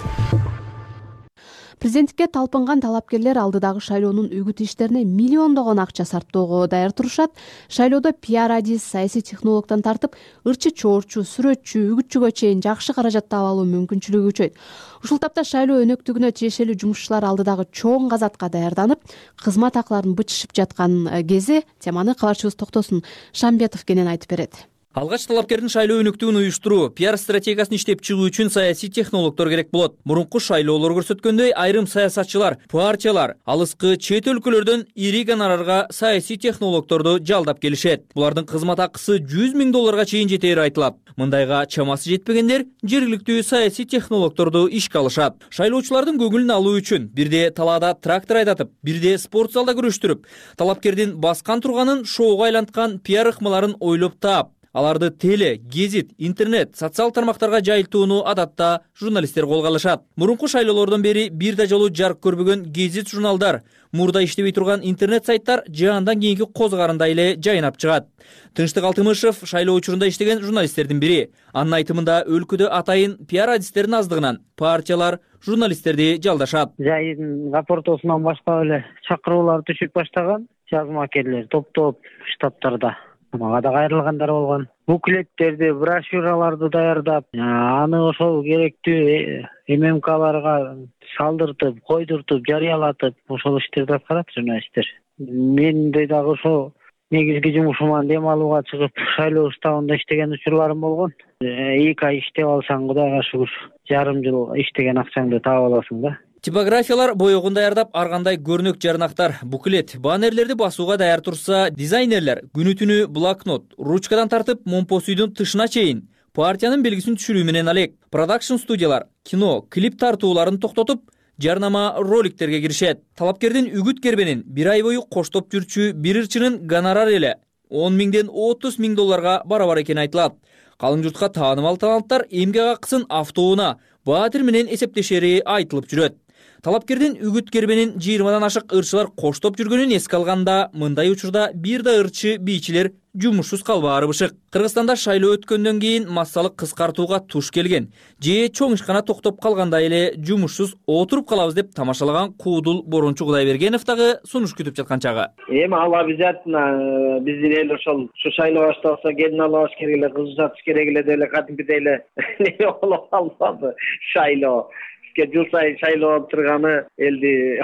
Президенттикке талпынган талапкерлер алдыдагы шайлоонун үгүт иштерине миллиондогон акча сарптоого даяр турушат. Шайлоодо пиар адис, саясий технологдон тартып, ырчы чоорчу, сүрөтчү, үгүтчүгө чейин жакшы каражат таап алуу мүмкүнчүлүгү күчөйт. Ушул тапта шайлоо өнөктүгүнө тиешелүү жумушчулар алдыдагы чоң казатка даярданып, кызмат акыларын бычышып жаткан кези теманы кабарчыбыз Токтосун Шамбетов кенен айтып берет. Алгач талапкердин шайлоо өнөктүгүн уюштуруу, пиар стратегиясын иштеп чыгуу үчүн саясий технологдор керек болот. Мурунку шайлоолор көрсөткөндөй, айрым саясатчылар, партиялар алыскы чет өлкөлөрдөн ири гонорарга саясий технологдорду жалдап келишет. Булардын кызмат акысы жүз миң долларга чейин жетери айтылат. Мындайга чамасы жетпегендер жергиликтүү саясий технологдорду ишке алышат. Шайлоочулардын көңүлүн алуу үчүн бирде талаада трактор айдатып, бирде спорт залда күрөштүрүп, талапкердин баскан турганын шоуга айланткан пиар ыкмаларын ойлоп таап, аларды теле, гезит, интернет, социал тармактарга жайылтууну адатта журналисттер колго алышат. Мурунку шайлоолордон бери бир да жолу жарык көрбөгөн гезит журналдар, мурда иштебей турган интернет сайттар жаандан кийинки козгарындай эле жайнап чыгат. Тынчтык Алтымышев шайлоо учурунда иштеген журналисттердин бири. Анын айтымында өлкөдө атайын пиар адистердин аздыгынан партиялар журналисттерди жалдашат. Жайдын рапортосунан баштап эле чакыруулар түшүп баштаган, жазмакерлер топтоп штабтарда. Мага да кайрылгандар болгон. Буклеттерди, брошюраларды даярдап, аны ошол керектүү эм эм каларга салдыртып, койдуртуп, жарыялатып, ошол иштерди аткарат журналисттер. Мен дагы ошол негизги жумушуман дем алууга чыгып, шайлоо штабында иштеген учурларым болгон. эки ай иштеп алсаң, Кудайга шүгүр, жарым жыл иштеген акчаңды таап аласың да. Типографиялар боёгун даярдап, ар кандай көрнөк жарнактар, буклет, баннерлерди басууга даяр турса, дизайнерлер күнү-түнү блокнот, ручкадан тартып, момпос үйдүн тышына чейин партиянын белгисин түшүрүү менен алек. Продакшн студиялар кино, клип тартууларын токтотуп, жарнама роликтерге киришет. Талапкердин үгүт кербенин бир ай бою коштоп жүрчү бир ырчынын гонорар эле он миңден отуз миң долларга барабар экени айтылат. Калың журтка таанымал таланттар эмгек акысын автоуна, баатыр менен эсептешери айтылып жүрөт. Талапкердин үгүт кербенин жыйырмадан ашык ырчылар коштоп жүргөнүн эске алганда, мындай учурда бир да ырчы бийчилер жумушсуз калбаары бышык. Кыргызстанда шайлоо өткөндөн кийин массалык кыскартууга туш келген, же чоң ишкана токтоп калгандай эле жумушсуз отуруп калабыз деп тамашалаган куудул Борончу Кудайбергенов дагы сунуш күтүп жаткан чагы. Эми ал обязательно биздин эл ошол ушу шайлоо башталса келин алабыз керек эле, кыз узатыш керек эле деп эле кадимкидей эле не болуп калбады шайлоо. бизге жыл сайын шайлоо болуп турганы элди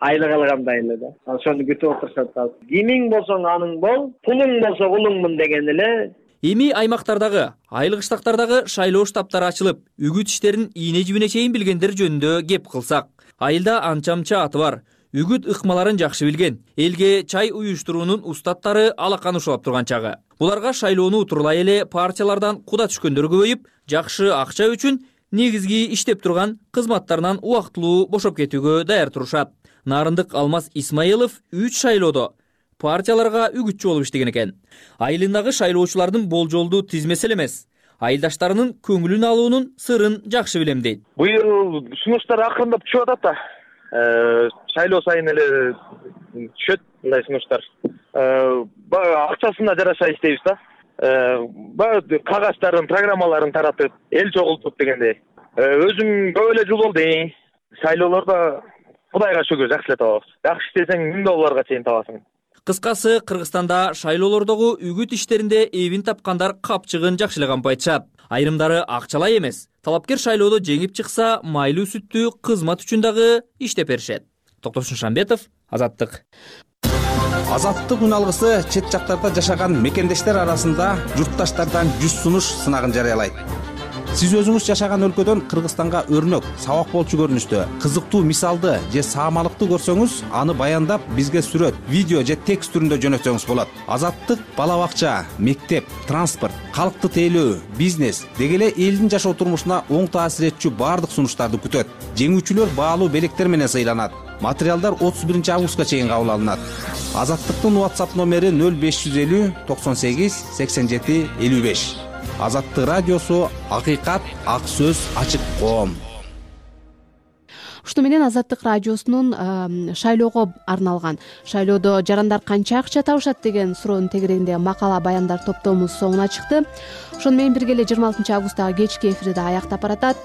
айлык алгандай эле да. Ошону күтүп отурушат. Кимиң болсоң аның бол, пулуң болсо улуңмун деген эле. Эми аймактардагы, айыл кыштактардагы шайлоо штабтары ачылып, үгүт иштерин ийне жибине чейин билгендер жөнүндө кеп кылсак, айылда анча-мынча аты бар, үгүт ыкмаларын жакшы билген, элге чай уюштуруунун устаттары алакан ушулап турган чагы. Буларга шайлоону утурлай эле партиялардан куда түшкөндөр көбөйүп, жакшы акча үчүн негизги иштеп турган кызматтарынан убактылуу бошоп кетүүгө даяр турушат. Нарындык Алмаз Исмаилов үч шайлоодо партияларга үгүтчү болуп иштеген экен. Айылындагы шайлоочулардын болжолду тизмеси эле эмес, айылдаштарынын көңүлүн алуунун сырын жакшы билем дейт. Быйыл сунуштар акырындап түшүп атат да. Шайлоо сайын эле түшөт мындай сунуштар. Баягы акчасына жараша иштейбиз да. Баягы кагаздарын, программаларын таратып, эл чогултуп дегендей. Өзүм көп эле жыл болду. Шайлоолордо Кудайга шүгүр жакшы эле табабыз. Жакшы иштесең миң долларга чейин табасың. Кыскасы, Кыргызстанда шайлоолордогу үгүт иштеринде эбин тапкандар капчыгын жакшы эле кампайтышат. Айрымдары акчалай эмес, талапкер шайлоодо жеңип чыкса, майлуу сүттүү кызмат үчүн дагы иштеп беришет. Токтосун Шамбетов, Азаттык. Азаттык үн алгысы чет жактарда жашаган мекендештер арасында журтташтардан жүз сунуш сынагын жарыялайт. Сиз өзүңүз жашаган өлкөдөн Кыргызстанга өрнөк, сабак болчу көрүнүштө, кызыктуу мисалды же саамалыкты көрсөңүз, аны баяндап бизге сүрөт, видео же текст түрүндө жөнөтсөңүз болот. Азаттык бала бакча, мектеп, транспорт, калкты тейлөө, бизнес деги эле элдин жашоо турмушуна оң таасир этчү баардык сунуштарды күтөт. Жеңүүчүлөр баалуу белектер менен сыйланат. Материалдар отуз биринчи августка чейин кабыл алынат. Азаттыктын WhatsApp номери нөл беш жүз элүү токсон сегиз сексен жети элүү беш. Азаттык радиосу, акыйкат, ак сөз, ачык коом. Ушуну менен Азаттык радиосунун шайлоого арналган шайлоодо жарандар канча акча табышат деген суроонун тегерегиндеги макала баяндар топтомубуз соңуна чыкты. Ошону менен бирге эле жыйырма алтынчы августтагы кечки эфирди аяктап баратат.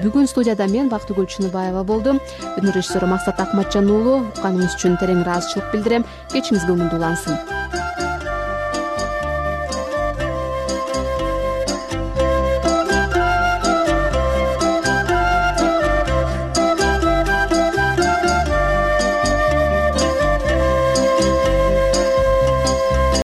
Бүгүн студияда мен Бактыгүл Чыныбаева болдум. Өнөр режиссеру Максат Акматжан уулу. Укканыңыз үчүн терең ыраазычылык билдирем. Кечиңиз көңүлдүү улансын.